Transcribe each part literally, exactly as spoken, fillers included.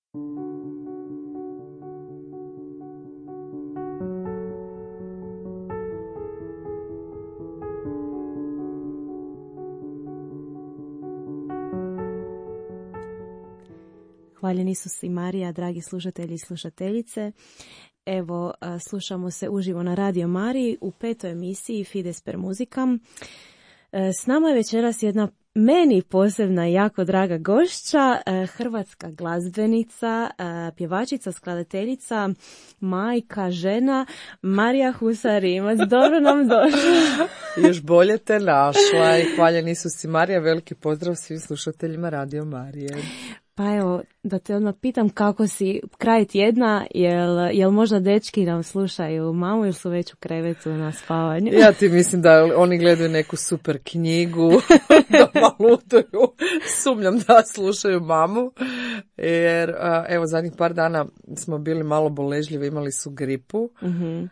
Hvaljeni Isus i Marija, dragi slušatelji i slušateljice. Evo, slušamo se uživo na Radio Mariji u petoj emisiji Fides per Musicam. S nama je večeras jedna meni posebna i jako draga gošća, hrvatska glazbenica, pjevačica, skladateljica, majka, žena, Marija Husar-Rimac. Dobro nam došla. Još bolje te našla i hvaljeni Isus i Marija, veliki pozdrav svim slušateljima Radio Marije. Pa evo, da te odmah pitam kako si kraj tjedna, jel, jel možda dečki nam slušaju mamu ili su već u krevetu na spavanju? Ja ti mislim da oni gledaju neku super knjigu, da malutuju, sumnjam da slušaju mamu, jer evo zadnjih par dana smo bili malo boležljivi, imali su gripu, mm-hmm.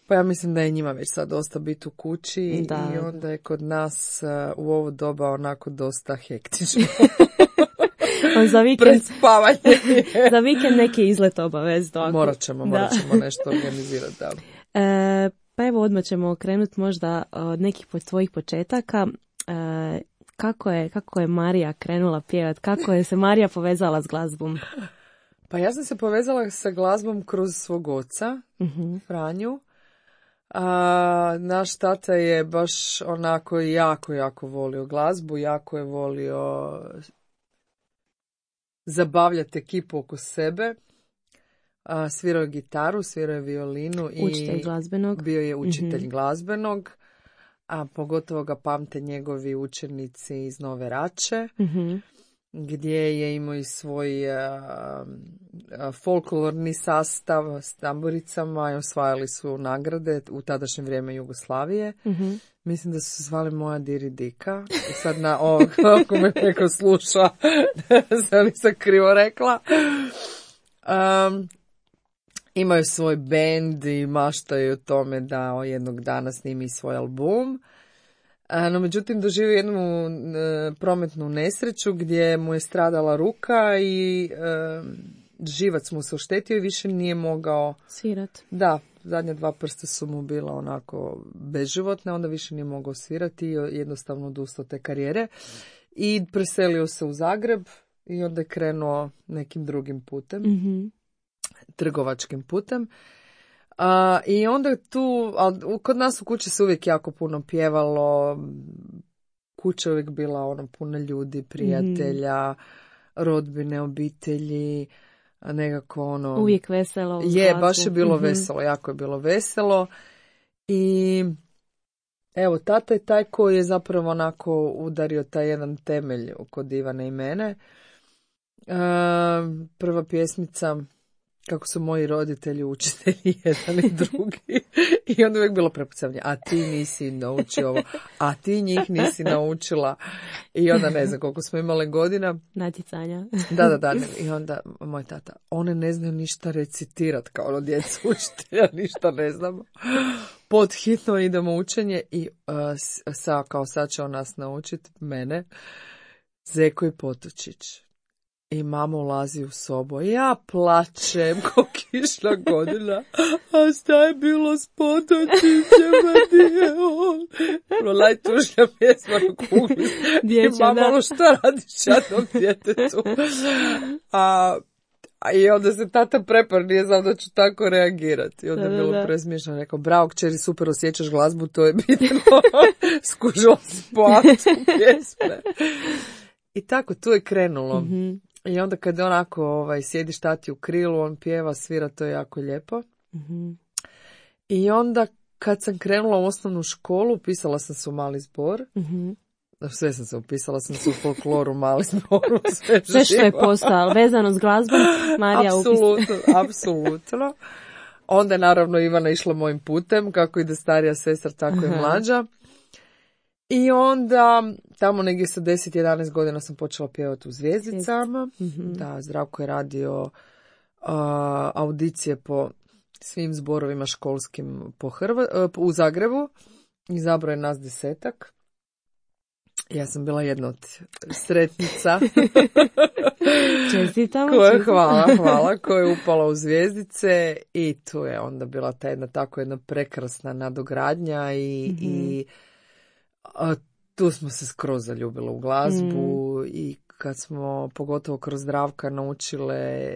Pa ja mislim da je njima već sad dosta biti u kući da. I onda je kod nas u ovo doba onako dosta hektično. Za vikend, za vikend neki izlet obavezno. Morat ćemo, morat ćemo nešto organizirati. Da. E, pa evo odmah ćemo krenuti možda od nekih tvojih početaka. E, kako, je, kako je Marija krenula pjevati? Kako je se Marija povezala s glazbom? Pa ja sam se povezala sa glazbom kroz svog oca, uh-huh. Franju. A, naš tata je baš onako jako, jako volio glazbu, jako je volio zabavljati ekipu oko sebe. A, svirao je gitaru, svirao je violinu. Učitelj i glazbenog. Bio je učitelj mm-hmm. glazbenog, a pogotovo ga pamte njegovi učenici iz Nove Rače, mm-hmm. gdje je imao i svoj a, a, folklorni sastav s tamburicama i osvajali su nagrade u tadašnje vrijeme Jugoslavije. Mm-hmm. Mislim da su zvali Moja Diri Dika. I sad na ovog, ako me neko sluša, da nisam krivo rekla. Um, imaju svoj bend i maštaju o tome da jednog dana snimi svoj album. Uh, no, međutim, doživio jednu uh, prometnu nesreću gdje mu je stradala ruka i uh, živac mu se oštetio i više nije mogao svirat. Da, zadnja dva prsta su mu bila onako beživotne, onda više nije mogao svirati i jednostavno odustao te karijere. I preselio se u Zagreb i onda je krenuo nekim drugim putem, mm-hmm. trgovačkim putem. A, I onda tu, a, kod nas u kući se uvijek jako puno pjevalo, kuća je uvijek bila ono puno ljudi, prijatelja, mm-hmm. rodbine, obitelji, nekako ono... Uvijek veselo. Je, baš je bilo mm-hmm. veselo, jako je bilo veselo. I evo, tata je taj koji je zapravo onako udario taj jedan temelj kod Ivane i mene. E, prva pjesmica, kako su moji roditelji učitelji jedan i drugi. I onda uvijek bilo prepucavanje, a ti nisi naučio ovo, a ti njih nisi naučila. I onda ne znam koliko smo imali godina. Natjecanja. Da, da, da. I onda moj tata, one ne znaju ništa recitirat kao ono djeca učitelja, ništa ne znamo. Pod hitno idemo učenje i uh, sa, kao sad će on nas naučiti, mene, Zeko i Potočić. I mama ulazi u sobu. Ja plačem ko kišna godina. A šta je bilo s Potočićem? Nije on. Najtužnija pjesma na kugli. I mama, ono šta radiš jadnom djetetu? A, a i onda se tata prepar, nije znam da ću tako reagirati. I onda je bilo presmiješno. Rekao, bravo kćeri, super osjećaš glazbu, to je bitno. Skužila si po aktu pjesme. I tako, tu je krenulo. Mm-hmm. I onda kad onako ovaj, sjediš tati u krilu, on pjeva, svira, to je jako lijepo. Mm-hmm. I onda kad sam krenula u osnovnu školu, upisala sam se u mali zbor. Mm-hmm. Sve sam se upisala, sam se u folkloru, mali zboru, sve, sve što je postalo vezano s glazbom, Marija apsolutno, apsolutno. Onda je naravno Ivana išla mojim putem, kako ide starija sestra, tako i mlađa. I onda, tamo negdje sa deset jedanaest godina sam počela pjevati u Zvijezdicama. Mm-hmm. Da, Zdravko je radio uh, audicije po svim zborovima školskim po Hrva, uh, u Zagrebu. Izabrao je nas desetak. Ja sam bila jedna od sretnica. Čestitamo. Koje, hvala, hvala, koja je upala u zvjezdice i tu je onda bila ta jedna tako jedna prekrasna nadogradnja i, mm-hmm. i a, tu smo se skroz zaljubile u glazbu mm. i kad smo pogotovo kroz Zdravka naučile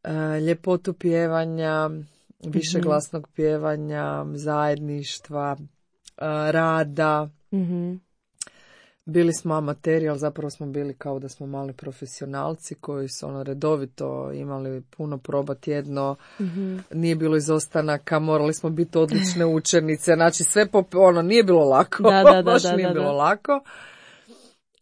a, ljepotu pjevanja, višeglasnog mm-hmm. pjevanja, zajedništva, a, rada. Mm-hmm. Bili smo amateri, ali zapravo smo bili kao da smo mali profesionalci koji su ono redovito imali puno proba tjedno, mm-hmm. nije bilo izostanaka, morali smo biti odlične učenice, znači sve po, ono, nije bilo lako, da, da, da, baš da, nije da, bilo da. lako.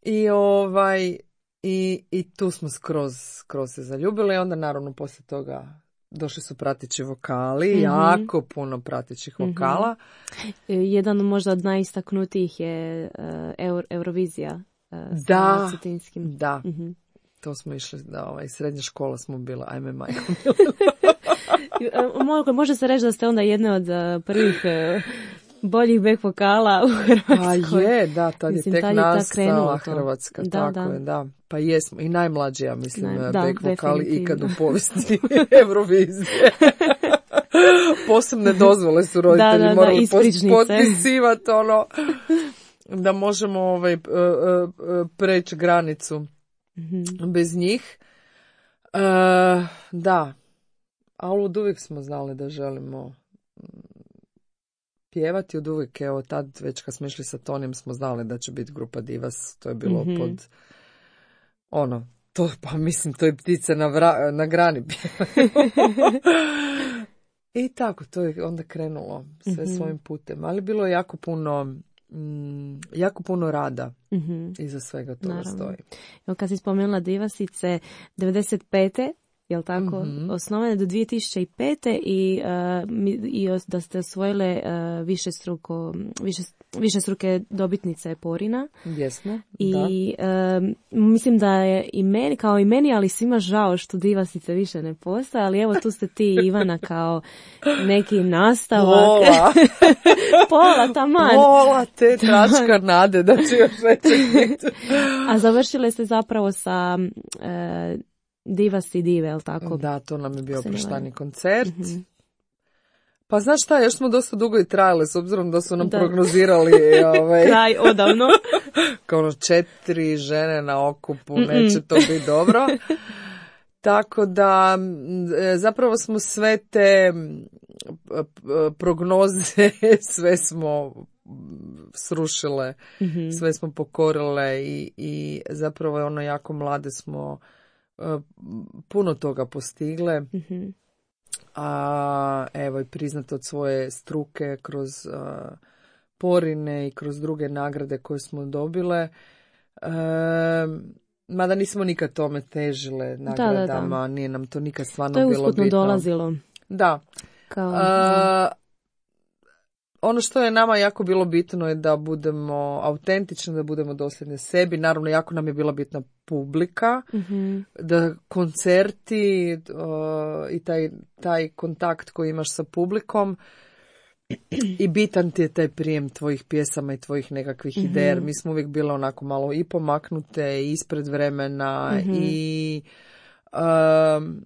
I ovaj, i, i tu smo skroz, skroz se zaljubili, i onda naravno poslije toga došli su prateći vokali, mm-hmm. jako puno pratećih vokala. Mm-hmm. Jedan možda od najistaknutijih je uh, Euro, Eurovizija uh, da, sa Cetinskim. Da, mm-hmm. to smo išli, da, ovaj, srednja škola smo bila, ajme majko. Može se reći da ste onda jedne od uh, prvih uh, boljih back vokala u Hrvatskoj. Pa je, da, tad mislim, je tek nastala ta Hrvatska, da, tako da. je, da. Pa jesmo, i najmlađi, ja mislim, Naj, back da, vokali definitivno. ikad u povijesti Eurovizije. Posebne dozvole su roditelji da, da, morali da, potpisivati, ono, da možemo ovaj, preći granicu mm-hmm. bez njih. Uh, da, ali od uvijek smo znali da želimo pjevati, od uvijek, evo tad već kad smo išli sa Tonijem smo znali da će biti grupa Divas, to je bilo mm-hmm. pod ono, to pa mislim to je ptice na, vra, na grani i tako, to je onda krenulo sve mm-hmm. svojim putem, ali bilo je jako puno mm, jako puno rada mm-hmm. iza svega toga Naravno. Stoji. Evo kad si spomenula Divasice, devedeset pete jel tako, mm-hmm. osnovane do dvije tisuće pete i, uh, i da ste osvojile uh, više struko, više, više struke dobitnice Porina. Jesmo, I uh, mislim da je i meni, kao i meni, ali svima žao što Divasice više ne postoje, ali evo tu ste ti Ivana kao neki nastavak. Pola. Pola, taman. Pola te tračka nade da će još veće biti. A završile ste zapravo sa uh, Divas i dive, jel tako? Da, to nam je bio proštani koncert. Mm-hmm. Pa znaš šta, još smo dosta dugo i trajali, s obzirom da su nam da. prognozirali ovaj, kraj odavno. Kao ono četiri žene na okupu, Mm-mm. neće to biti dobro. Tako da zapravo smo sve te prognoze, sve smo srušile, mm-hmm. sve smo pokorile i, i zapravo je ono jako mlade smo puno toga postigle, mm-hmm. a evo i priznat od svoje struke kroz a, Porine i kroz druge nagrade koje smo dobile, e, mada nismo nikad tome težile nagradama, da, da, da. Nije nam to nikad stvarno bilo bitno. To je usputno dolazilo. Da. Kao, a, ono što je nama jako bilo bitno je da budemo autentični, da budemo dosljedni sebi. Naravno, jako nam je bila bitna publika, mm-hmm. da koncerti uh, i taj, taj kontakt koji imaš sa publikom i bitan ti je taj prijem tvojih pjesama i tvojih nekakvih mm-hmm. ideja. Mi smo uvijek bile onako malo i pomaknute, i ispred vremena mm-hmm. i... Um,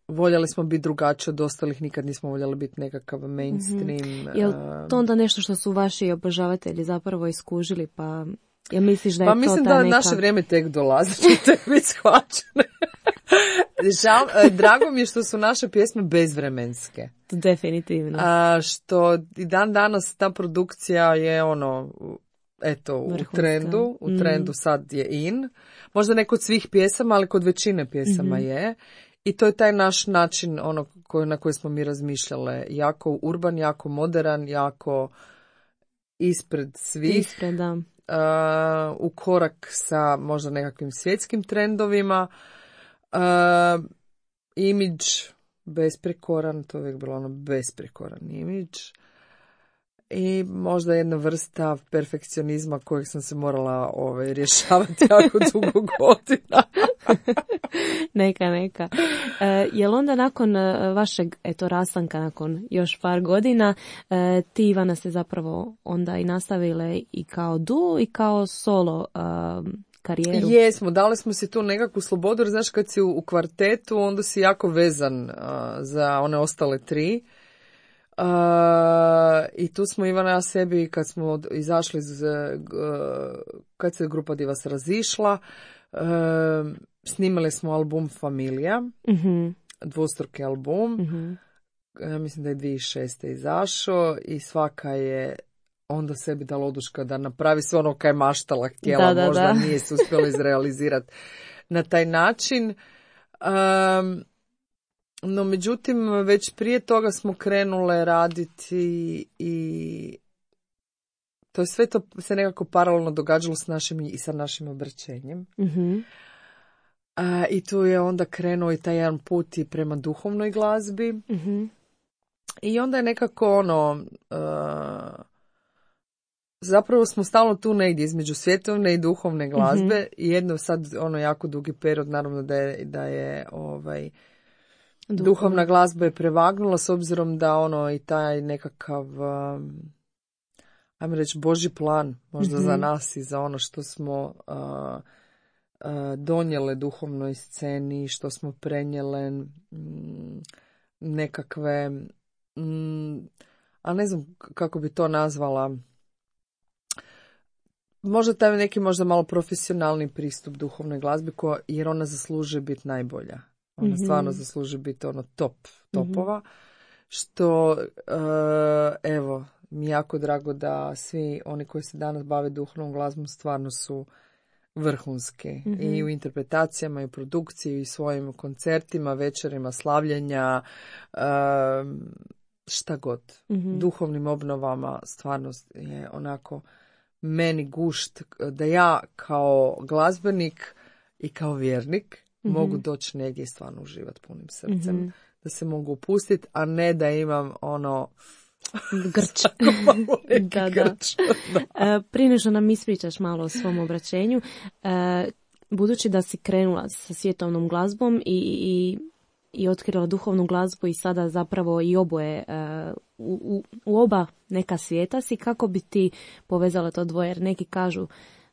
voljeli smo biti drugačiji od ostalih, nikad nismo voljeli biti nekakav mainstream. Mm-hmm. Je li to onda nešto što su vaši obožavatelji zapravo iskužili, pa ja misliš da je pa to mislim ta da neka... naše vrijeme tek dolazi, će tek biti shvaćene. Žal, drago mi je što su naše pjesme bezvremenske. Definitivno. A, što i dan danas ta produkcija je ono... Eto, Vrhunska. u trendu, u trendu mm. sad je in. Možda ne kod svih pjesama, ali kod većine pjesama mm-hmm. je. I to je taj naš način ono koji, na koji smo mi razmišljale. Jako urban, jako modern, jako ispred svih. Ispred, da. Uh, u korak sa možda nekakvim svjetskim trendovima. Uh, imidž besprekoran, to je uvijek bilo ono besprekoran imidž. i možda jedna vrsta perfekcionizma kojeg sam se morala ovaj, rješavati jako dugo godina. Neka, neka. E, je li onda nakon vašeg eto, rastanka, nakon još par godina, e, ti Ivana ste zapravo onda i nastavile i kao duo i kao solo e, karijeru? Jesmo, dali smo si tu nekakvu slobodu, jer znaš kad si u, u kvartetu, onda si jako vezan uh, za one ostale tri. Uh, I tu smo Ivana i ja sebi, kad smo izašli, iz, uh, kad se grupa Divas razišla, uh, snimali smo album Familija, mm-hmm. dvostruki album, mm-hmm. ja mislim da je dvije tisuće šeste izašao i svaka je onda sebi dala oduška da napravi sve ono kaj je maštala, htjela, da, da, možda da. nije se uspjela izrealizirati na taj način. Um, no međutim, već prije toga smo krenule raditi i to je sve to se nekako paralelno događalo s našim i sa našim obraćenjem. Mm-hmm. Uh, I tu je onda krenuo i taj jedan put i prema duhovnoj glazbi. Mm-hmm. I onda je nekako ono... Uh, zapravo smo stalno tu negdje između svjetovne i duhovne glazbe. Mm-hmm. I jedno sad ono jako dugi period, naravno da je, da je ovaj, duhovna. duhovna glazba je prevagnula s obzirom da ono i taj nekakav... Um, ajmo reći, Božji plan možda mm-hmm. za nas i za ono što smo uh, uh, donijele duhovnoj sceni, što smo prenijele mm, nekakve, mm, a ne znam kako bi to nazvala, možda taj neki možda malo profesionalni pristup duhovnoj glazbi, ko, jer ona zaslužuje biti najbolja. Ona mm-hmm. stvarno zaslužuje biti ono top topova, mm-hmm. što uh, evo, mi je jako drago da svi oni koji se danas bave duhovnom glazbom stvarno su vrhunski. Mm-hmm. I u interpretacijama, i u produkciji, i svojim koncertima, večerima, slavljenja, um, šta god. Mm-hmm. Duhovnim obnovama stvarno je onako meni gušt da ja kao glazbenik i kao vjernik mm-hmm. mogu doći negdje i stvarno uživati punim srcem. Mm-hmm. Da se mogu upustiti, a ne da imam ono... Grč. da, da. da. Prije nego što nam ispričaš malo o svom obraćenju, budući da si krenula sa svjetovnom glazbom i, i, i otkrila duhovnu glazbu i sada zapravo i oboje u, u, u oba neka svijeta si, kako bi ti povezala to dvoje? Jer neki kažu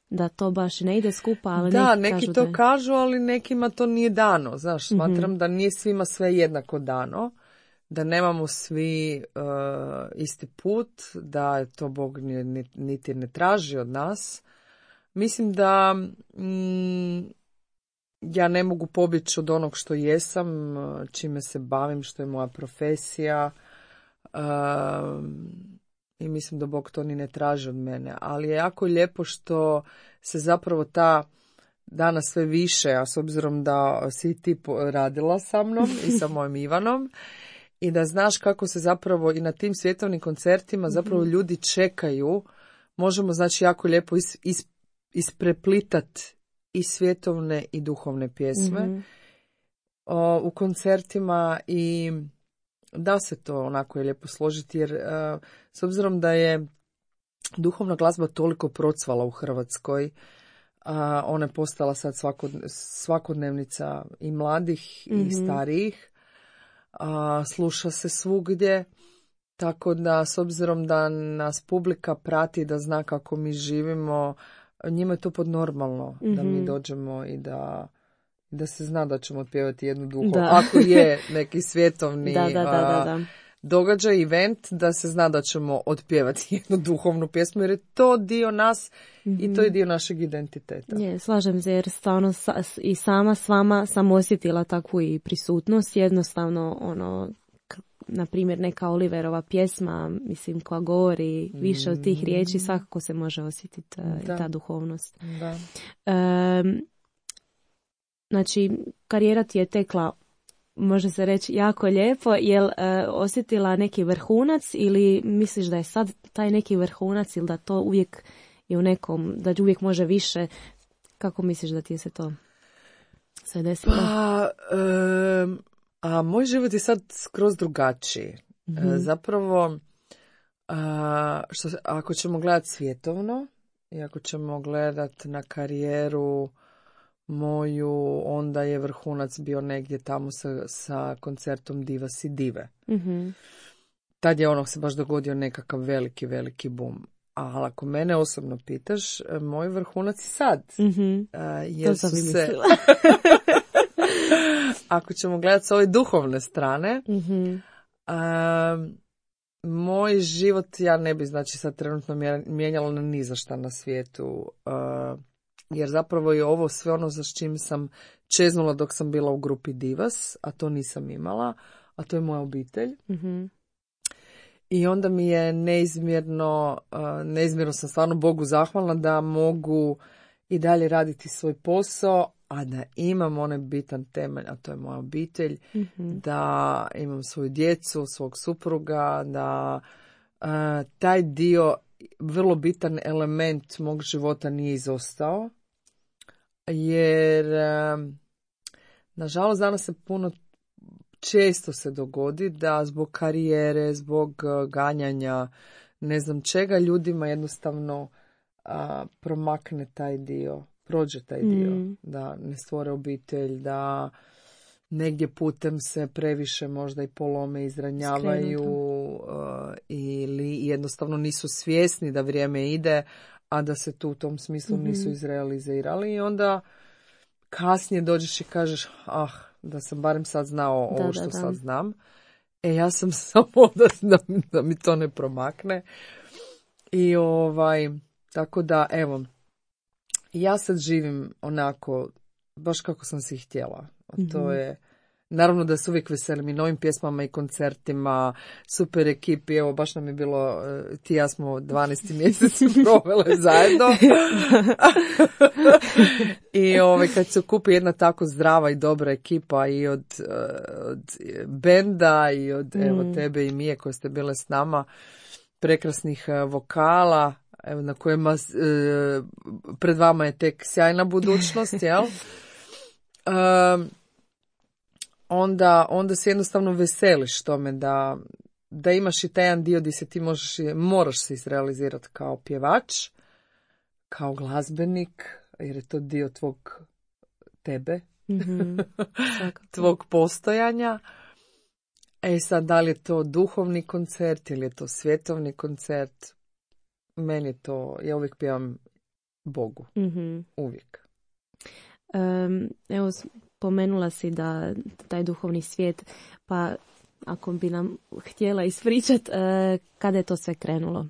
da to baš ne ide skupa, ali da, neki, neki kažu to da... kažu, ali nekima to nije dano. Znaš, smatram mm-hmm. da nije svima sve jednako dano. Da nemamo svi uh, isti put, da to Bog niti ne traži od nas. Mislim da mm, ja ne mogu pobjeći od onog što jesam, čime se bavim, što je moja profesija. Uh, I mislim da Bog to ni ne traži od mene. Ali je jako lijepo što se zapravo ta danas sve više, a s obzirom da si ti radila sa mnom i sa mojim Ivanom, i da znaš kako se zapravo i na tim svjetovnim koncertima zapravo ljudi čekaju, možemo znači jako lijepo is, is, ispreplitati i svjetovne i duhovne pjesme mm-hmm. o, u koncertima i da se to onako je lijepo složiti jer a, s obzirom da je duhovna glazba toliko procvala u Hrvatskoj, a, ona je postala sad svakod, svakodnevnica i mladih mm-hmm. i starijih. A, sluša se svugdje, tako da s obzirom da nas publika prati, da zna kako mi živimo, njima je to podnormalno mm-hmm. da mi dođemo i da, da se zna da ćemo otpjevati jednu duhovnu. Ako je neki svjetovni da, da, da, da, da. događaj, event, da se zna da ćemo otpjevati jednu duhovnu pjesmu, jer je to dio nas mm-hmm. i to je dio našeg identiteta. Je, slažem se, jer stvarno sa, i sama s vama sam osjetila takvu i prisutnost. Jednostavno, ono, k- na primjer, neka Oliverova pjesma, mislim, koja govori više od tih riječi, svakako se može osjetiti uh, ta duhovnost. Da. Um, znači, karijera ti je tekla, može se reći, jako lijepo. Jel uh, osjetila neki vrhunac ili misliš da je sad taj neki vrhunac ili da to uvijek je u nekom, da uvijek može više? Kako misliš da ti je se to sve desilo? Pa, um, a moj život je sad skroz drugačiji. Mm-hmm. E, zapravo, A, što, ako ćemo gledati svjetovno i ako ćemo gledati na karijeru moju, onda je vrhunac bio negdje tamo sa, sa koncertom Divas i dive. Mm-hmm. Tad je ono se baš dogodio nekakav veliki, veliki bum. Ali ako mene osobno pitaš, moj vrhunac je sad. Mm-hmm. A, jer to sam su i se... mislila. Ako ćemo gledati s ove duhovne strane, Mm-hmm. a, moj život ja ne bi znači sad trenutno mijenjala na ni za šta na svijetu. A, jer zapravo je ovo sve ono za s čim sam čeznula dok sam bila u grupi Divas, a to nisam imala, a to je moja obitelj. Mm-hmm. I onda mi je neizmjerno, neizmjerno sam stvarno Bogu zahvalna da mogu i dalje raditi svoj posao, a da imam onaj bitan temelj, a to je moja obitelj, Mm-hmm. da imam svoju djecu, svog supruga, da uh, taj dio, vrlo bitan element mog života nije izostao, jer uh, nažalost danas se puno često se dogodi da zbog karijere, zbog ganjanja, ne znam čega, ljudima jednostavno a, promakne taj dio, prođe taj dio, Mm. da ne stvore obitelj, da negdje putem se previše možda i polome, izranjavaju a, ili jednostavno nisu svjesni da vrijeme ide, a da se tu u tom smislu Mm-hmm. nisu izrealizirali i onda kasnije dođeš i kažeš, ah, da sam barem sad znao ovo Da, što da, da. sad znam. E, ja sam samo da, da, da mi to ne promakne. I ovaj, tako da, evo, ja sad živim onako, baš kako sam si htjela. A to Mhm. je, naravno da se uvijek veselim i novim pjesmama i koncertima, super ekipi, evo, baš nam je bilo, eh, ti i ja smo dvanaesti mjesec provele zajedno. I ovaj, kad se okupi jedna tako zdrava i dobra ekipa i od, eh, od benda i od Mm. evo, tebe i Mije koje ste bile s nama, prekrasnih eh, vokala, evo, na kojima eh, pred vama je tek sjajna budućnost, jel? Um, onda, onda se jednostavno veseliš tome da, da imaš i taj jedan dio gdje se ti možeš, moraš se izrealizirati kao pjevač, kao glazbenik, jer je to dio tvog tebe, Mhm. Svakako. tvog postojanja. E sad, da li je to duhovni koncert ili je to svjetovni koncert, meni je to, ja uvijek pjevam Bogu, Mhm. uvijek. Em, evo, spomenula si da taj duhovni svijet, pa ako bi nam htjela ispričat, e, kada je to sve krenulo?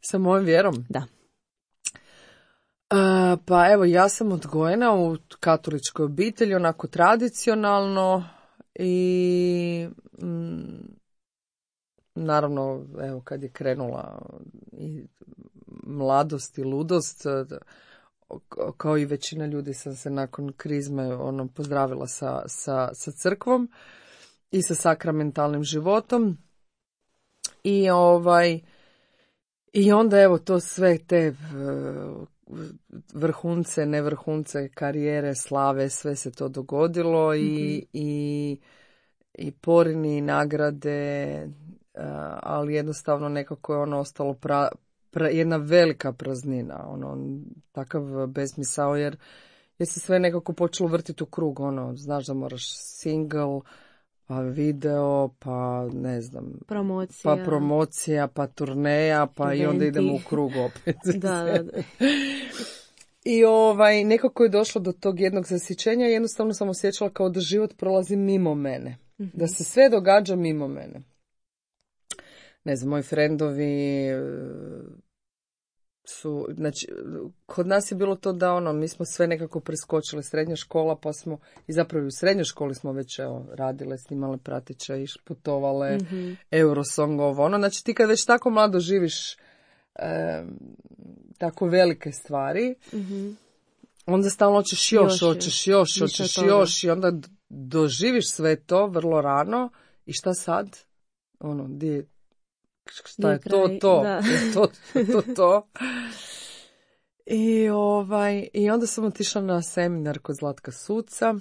Sa mojom vjerom? Da. Uh, pa evo, ja sam odgojena u katoličkoj obitelji, onako tradicionalno i mm, naravno, evo, kad je krenula i mladost i ludost, kao i većina ljudi sam se nakon krizme ono, pozdravila sa, sa, sa crkvom i sa sakramentalnim životom i ovaj i onda evo to sve te uh, vrhunce, nevrhunce, karijere, slave, sve se to dogodilo i, Mhm. i, i porini, i nagrade, uh, ali jednostavno nekako je ono ostalo pra, pra, jedna velika praznina, ono, takav besmisao, jer, jer se sve nekako počelo vrtiti u krug, ono, znaš da moraš single, pa video, pa ne znam, Promocija. pa promocija, pa turneja, pa i onda Eventi. idemo u krug opet. Da, da, da. I ovaj, nekako je došlo do tog jednog zasićenja i jednostavno sam osjećala kao da život prolazi mimo mene. Mhm. Da se sve događa mimo mene. Ne znam, moji frendovi e, su, znači, kod nas je bilo to da ono, mi smo sve nekako preskočili, srednja škola, pa smo, i zapravo i u srednjoj školi smo već evo, radile, snimale pratiće, iš, putovale, Mhm. Eurosong, ovo, ono, znači ti kad već tako mlado živiš e, tako velike stvari, Mhm. onda stalno hoćeš još, Još, hoćeš još, više hoćeš toga. još i onda d- doživiš sve to vrlo rano i šta sad? Ono, di je, šta Di je je to, kraj? to, Da. je to, to, to. I, ovaj, I onda sam otišla na seminar kod Zlatka Suca.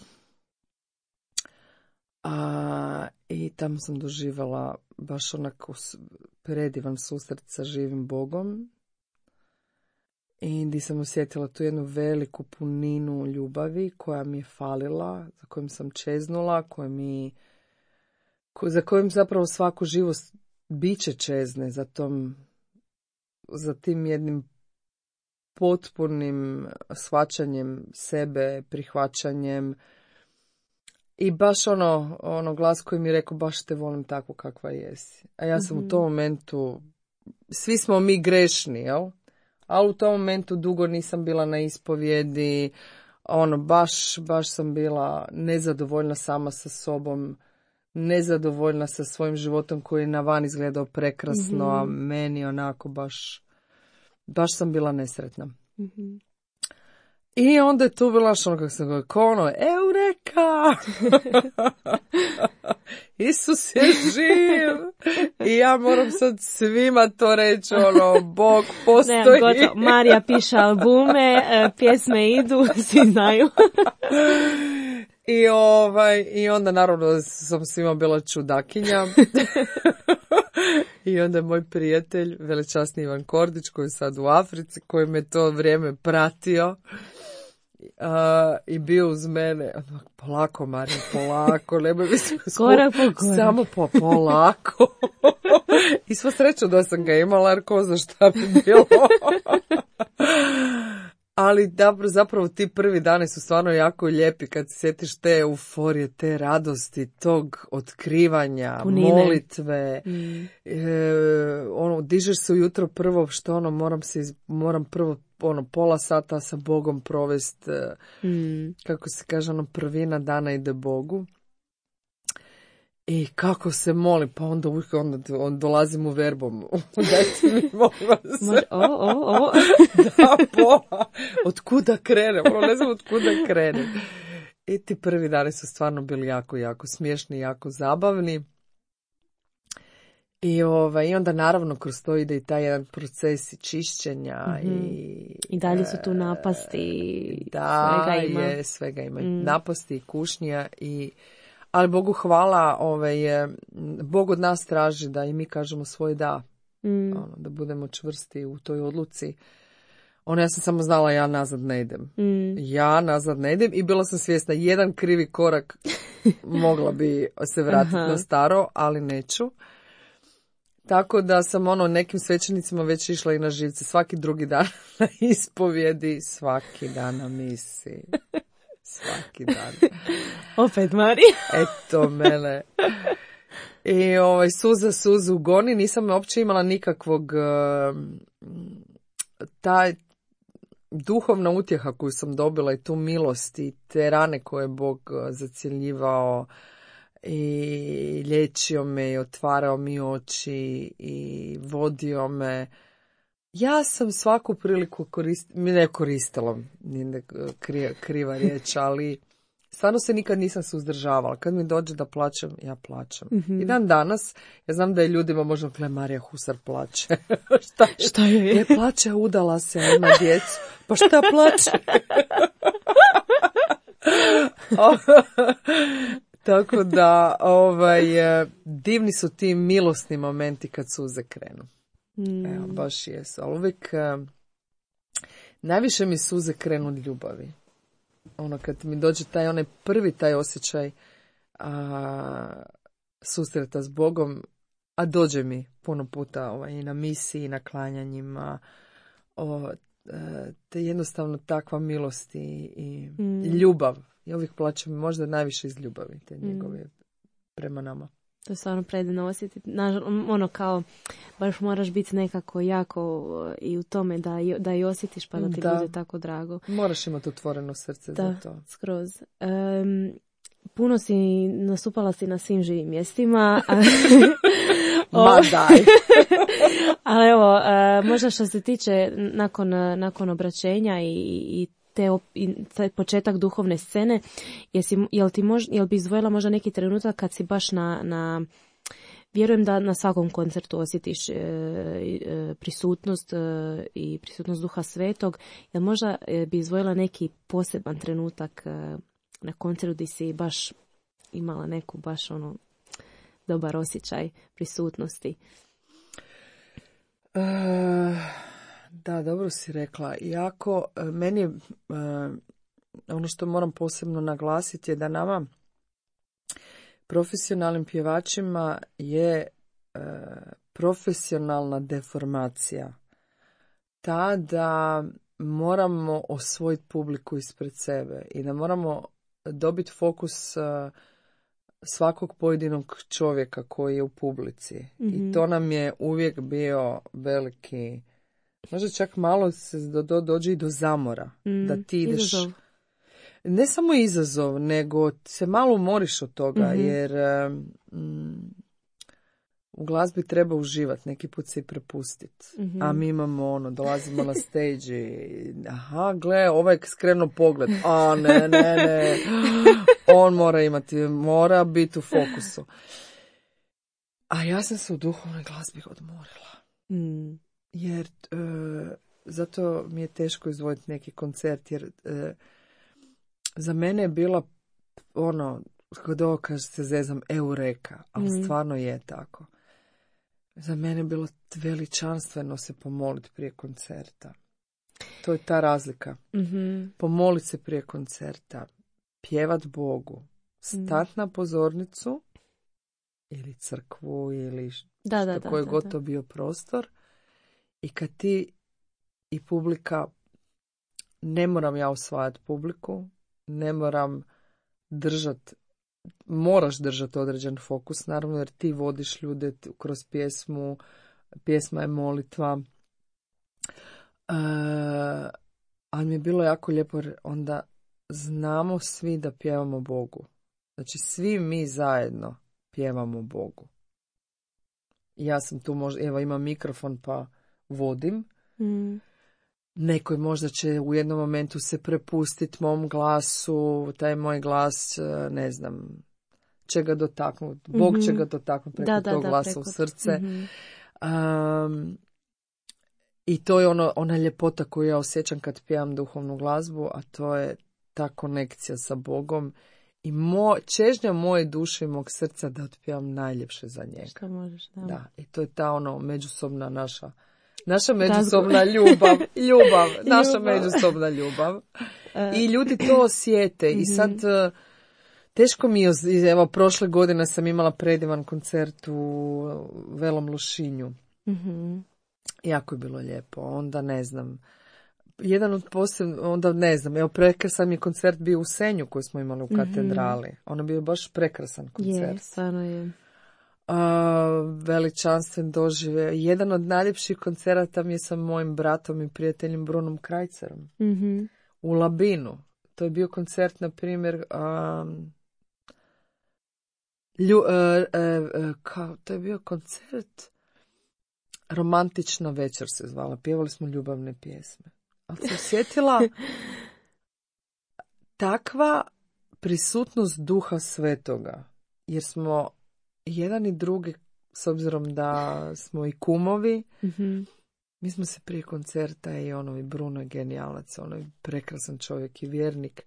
A, I tamo sam doživjela baš onako predivan susret sa živim Bogom. I gdje sam osjetila tu jednu veliku puninu ljubavi koja mi je falila, za kojim sam čeznula, koja mi, ko, za kojim zapravo svako živo biće čezne, za, tom, za tim jednim potpunim shvaćanjem sebe, prihvaćanjem. I baš ono, ono glas koji mi je rekao, baš te volim tako kakva jesi. A ja sam mm-hmm. u tom momentu, svi smo mi grešni, jel? Ali u tom momentu dugo nisam bila na ispovjedi, ono, baš, baš sam bila nezadovoljna sama sa sobom, nezadovoljna sa svojim životom koji je na van izgledao prekrasno, mm-hmm. a meni onako baš, baš sam bila nesretna. Mm-hmm. I onda je tu bila što ono kako sam govorila, kao ono, Eureka! Isus je živ! I ja moram sad svima to reći, ono, Bog postoji. Ne, gotovo. Marija piše albume, pjesme idu, svi znaju. I, ovaj, I onda naravno sam svima bila čudakinja. I onda je moj prijatelj, velečasni Ivan Kordić, koji je sad u Africi, koji me to vrijeme pratio uh, i bio uz mene. Polako, Marija, polako, nemoj mi se korak po korak. Samo po polako. I sva sreća da sam ga imala, jer ko zna šta bi bilo. Ali dobro, zapravo ti prvi dani su stvarno jako lijepi kad se sjetiš te euforije, te radosti, tog otkrivanja, punine, molitve. Mm. E, ono, dižeš se ujutro prvo što ono, moram se, moram prvo ono, pola sata sa Bogom provest, mm. kako se kaže, ono, prvina dana ide Bogu. I kako se moli, pa onda, onda, onda dolazim u verbom. Dajte mi, molim vas. O, o, o. Da, pola. Od kuda krenem? Ne znam od kuda krenem. I ti prvi dani su stvarno bili jako, jako smiješni, jako zabavni. I, ovaj, I onda naravno kroz to ide i taj jedan proces i čišćenja. Mm-hmm. I, I dalje su tu napasti. Da, svega ima. Je, svega ima. Mm. Napasti i kušnja i... Ali Bogu hvala, ovaj, Bog od nas traži da i mi kažemo svoj da. Mm. Ono, da budemo čvrsti u toj odluci. Ono, ja sam samo znala, ja nazad ne idem. Mm. Ja nazad ne idem i bila sam svjesna, jedan krivi korak mogla bi se vratiti na staro, ali neću. Tako da sam ono nekim svećenicima već išla i na živce. Svaki drugi dan na ispovjedi, svaki dan na misiji. Svaki dan. Opet Marija. Eto mene. I ovaj, suza suzu goni. Nisam uopće imala nikakvog uh, taj duhovna utjeha koju sam dobila i tu milost i te rane koje je Bog zacjeljivao i liječio me i otvarao mi oči i vodio me. Ja sam svaku priliku koristila, mi ne koristila, nije kriva, kriva riječ, ali stvarno se nikad nisam suzdržavala. Kad mi dođe da plaćam, ja plaćam. Mm-hmm. I dan danas, ja znam da je ljudima možda, gle, Marija Husar plaće. šta, šta je? Je plaće, udala se, ima djecu. Pa šta plaće? Tako da, ovaj, divni su ti milosni momenti kad suze krenu. Mm. Evo, baš jesu. Ali uvijek uh, najviše mi suze krenu od ljubavi. Ono, kad mi dođe taj onaj prvi taj osjećaj uh, susreta s Bogom, a dođe mi puno puta ovaj, i na misiji, i na klanjanjima, o, uh, te jednostavno takva milost i, i, mm. i ljubav. Ja uvijek plaćam možda najviše iz ljubavi te njegove mm. prema nama. To je stvarno predivno osjetiti. Ono kao, baš moraš biti nekako jako i u tome da, da i osjetiš pa da ti da. bude tako drago. Moraš imati otvoreno srce da, za to. Skroz. Um, puno si nastupala si na svim živim mjestima. Ma daj. Ali evo, uh, možda što se tiče nakon, nakon obraćenja i, i te op, i taj početak duhovne scene, jesi, jel, ti mož, jel bi izdvojila možda neki trenutak kad si baš na, na vjerujem da na svakom koncertu osjetiš e, e, prisutnost e, i prisutnost Duha Svetog, jel možda e, bi izdvojila neki poseban trenutak e, na koncertu gdje si baš imala neku baš ono dobar osjećaj prisutnosti? Uh, da, dobro si rekla. Jako, meni je, uh, ono što moram posebno naglasiti je da nama profesionalnim pjevačima je uh, profesionalna deformacija. Ta da moramo osvojiti publiku ispred sebe i da moramo dobiti fokus uh, svakog pojedinog čovjeka koji je u publici. Mm-hmm. I to nam je uvijek bio veliki, možda čak malo se do, do, dođe i do zamora. Mm, da ti ideš... Izazov. Ne samo izazov, nego se malo umoriš od toga, mm-hmm. jer um, u glazbi treba uživati, neki put se i prepustiti. Mm-hmm. A mi imamo ono, dolazimo na stage i aha, gle, ovaj skrenuo pogled. A ne, ne, ne. On mora imati, mora biti u fokusu. A ja sam se u duhovnoj glazbi odmorila. Mm. Jer e, zato mi je teško izdvojiti neki koncert, jer e, za mene je bila ono, kod ovo kaže se zezam, eureka, ali mm. stvarno je tako. Za mene je bilo veličanstveno se pomoliti prije koncerta. To je ta razlika. Mm-hmm. Pomoliti se prije koncerta, pjevat Bogu, stat mm. na pozornicu ili crkvu ili da, da, što koji da, god da. to bio prostor i kad ti i publika, ne moram ja osvajati publiku, ne moram držati, moraš držati određen fokus, naravno, jer ti vodiš ljude kroz pjesmu, pjesma je molitva. E, ali mi je bilo jako lijepo, onda znamo svi da pjevamo Bogu. Znači, svi mi zajedno pjevamo Bogu. Ja sam tu možda, evo imam mikrofon pa vodim. Mm. Neko možda će u jednom momentu se prepustiti mom glasu, taj moj glas, ne znam, će ga dotaknuti. Bog mm-hmm. će ga dotaknuti preko da, da, tog da, glasa preko... u srce. Mm-hmm. Um, I to je ono, ona ljepota koju ja osjećam kad pjevam duhovnu glazbu, a to je ta konekcija sa Bogom i mo, čežnja moje duše i mog srca da otpjevam najljepše za njega. Što možeš, da. Da, i to je ta ono međusobna naša Naša međusobna ljubav, ljubav, naša ljubav. međusobna ljubav. I ljudi to osjete. I sad, teško mi je, evo, prošle godine sam imala predivan koncert u Velom Lošinju. Mm-hmm. Jako je bilo lijepo. Onda ne znam, jedan od posebno, onda ne znam, evo, prekrasan je koncert bio u Senju koji smo imali u katedrali. Mm-hmm. Ono bio baš prekrasan koncert. Je, stvarno je. Uh, veličanstven dožive. Jedan od najljepših koncerata mi je sa mojim bratom i prijateljem Brunom Krajcerom mm-hmm. u Labinu. To je bio koncert, na primjer, um, lju, uh, uh, uh, kao, to je bio koncert Romantična večer se zvala. Pjevali smo ljubavne pjesme. Ali se osjetila takva prisutnost Duha Svetoga, jer smo jedan i drugi, s obzirom da smo i kumovi, mm-hmm. mi smo se prije koncerta i ono, i Bruno je genijalac, ono je prekrasan čovjek i vjernik.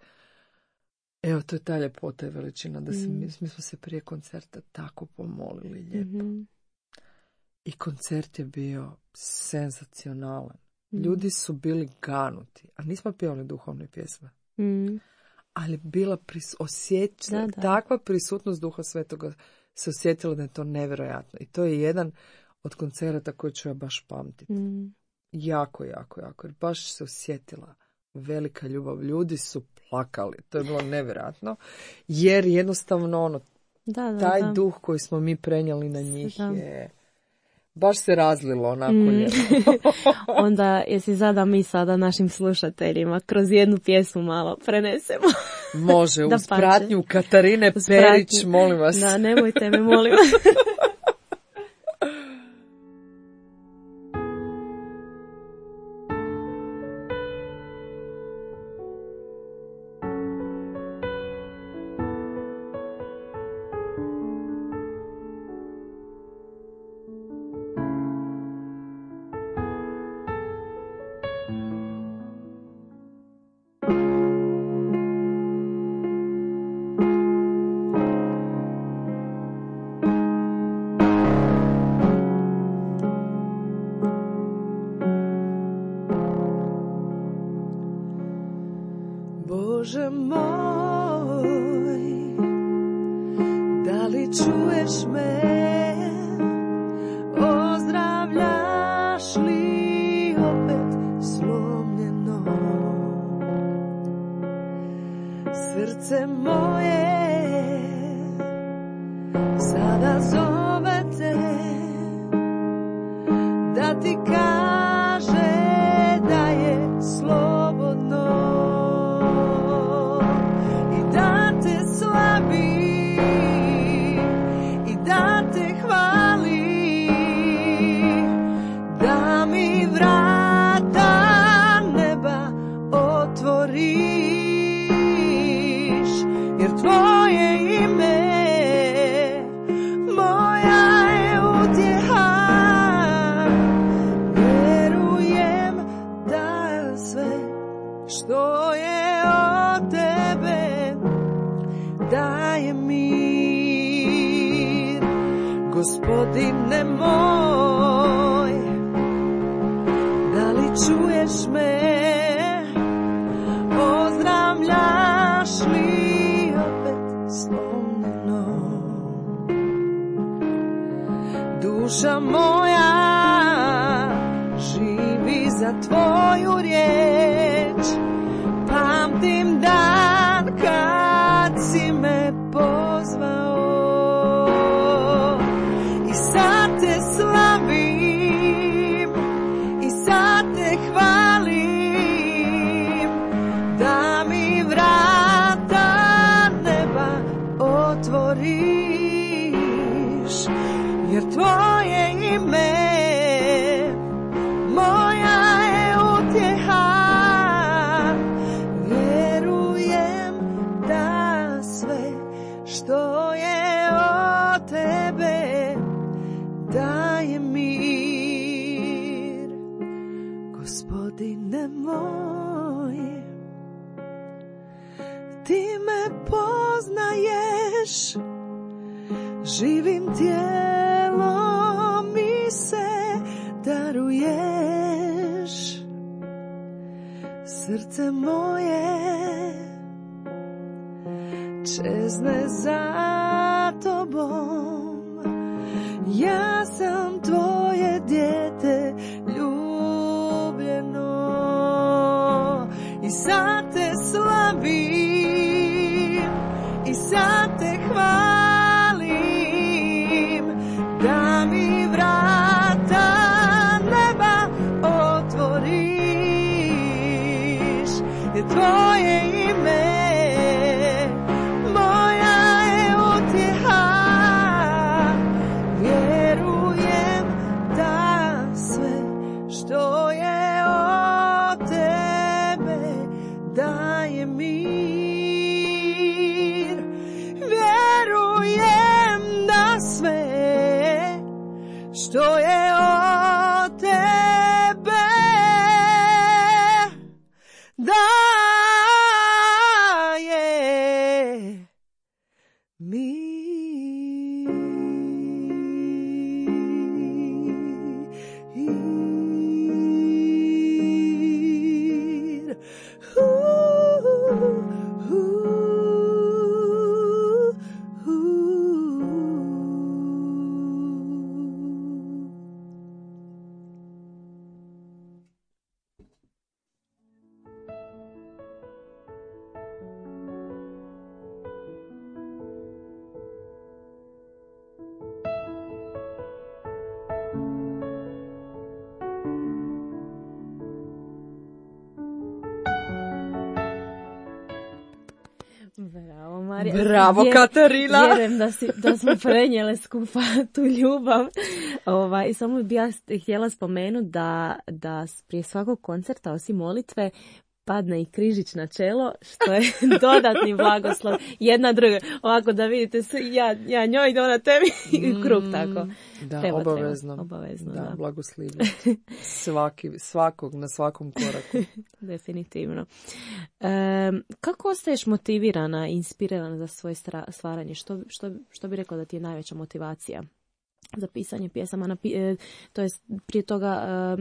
Evo, to je ta ljepota i veličina, da se, mm. mi, mi smo se prije koncerta tako pomolili lijepo. Mm-hmm. I koncert je bio senzacionalan. Mm. Ljudi su bili ganuti, a nismo pjevali duhovne pjesme. Mm. Ali bila pris, osjeć, da, da. takva prisutnost Duha Svetoga se osjetila da je to nevjerojatno. I to je jedan od koncerata koji ću ja baš pamtiti. Mm. Jako, jako, jako. Jer baš se osjetila velika ljubav. Ljudi su plakali. To je bilo nevjerojatno. Jer jednostavno ono, da, da, taj da. duh koji smo mi prenijeli na njih da. je... Baš se razlilo onako mm. lijepo. Onda jesi zada mi sada našim slušateljima kroz jednu pjesmu malo prenesemo. Može, uz pratnju Katarine uz Perić, pratnju. Molim vas. Da, nemojte me, molim vas. čuješ me? Ozdravljaš li opet slomljeno srce moje? Sada zove te da ti kaže da je slobodno i da te slavi i da te hvali, da mi vrata neba otvoriš, jer tvoje ime moja je utjeha. Vjerujem da sve što je od tebe daje mir. Gospodine moj, da li čuješ me? Ozdravljaš li opet slomljeno? Duša moja živi za tvoju riječ, pamtim dan kad si me pozvao i sad te slavim i sad te hvalim, da mi vrata neba otvoriš, jer tvoje ime moja je utjeha. Vjerujem da sve što je od tebe daje mir. Gospodine moj, ti me poznaješ, živim tijelom mi se daruješ, srce moje čezne za tobom, ja sam tvoje dijete ljubljeno i sad te slavim i sad te hvalim, da mi vrata neba otvoriš, jer tvoje ime moja je utjeha. Vjerujem da sve što je od tebe daje mir. Vjerujem da sve što je od tebe daje mir. Bravo, Marija. Bravo, Vjer, Katarina. Vjerujem da, si, da smo prenijele skupa tu ljubav. Ova, I samo bih ja htjela spomenuti da, da prije svakog koncerta, osim molitve, padne i križić na čelo, što je dodatni blagoslov. Jedna druga. Ovako da vidite, ja, ja njoj, da ona tebi i u krug tako. Da, treba, obavezno. Treba, obavezno. Da, da. blagoslivlja. Svaki, svakog, na svakom koraku. Definitivno. E, kako ostaješ motivirana, inspirirana za svoje stvaranje? Što, što, što bi rekla da ti je najveća motivacija za pisanje pjesama? Na, e, to jest prije toga... E...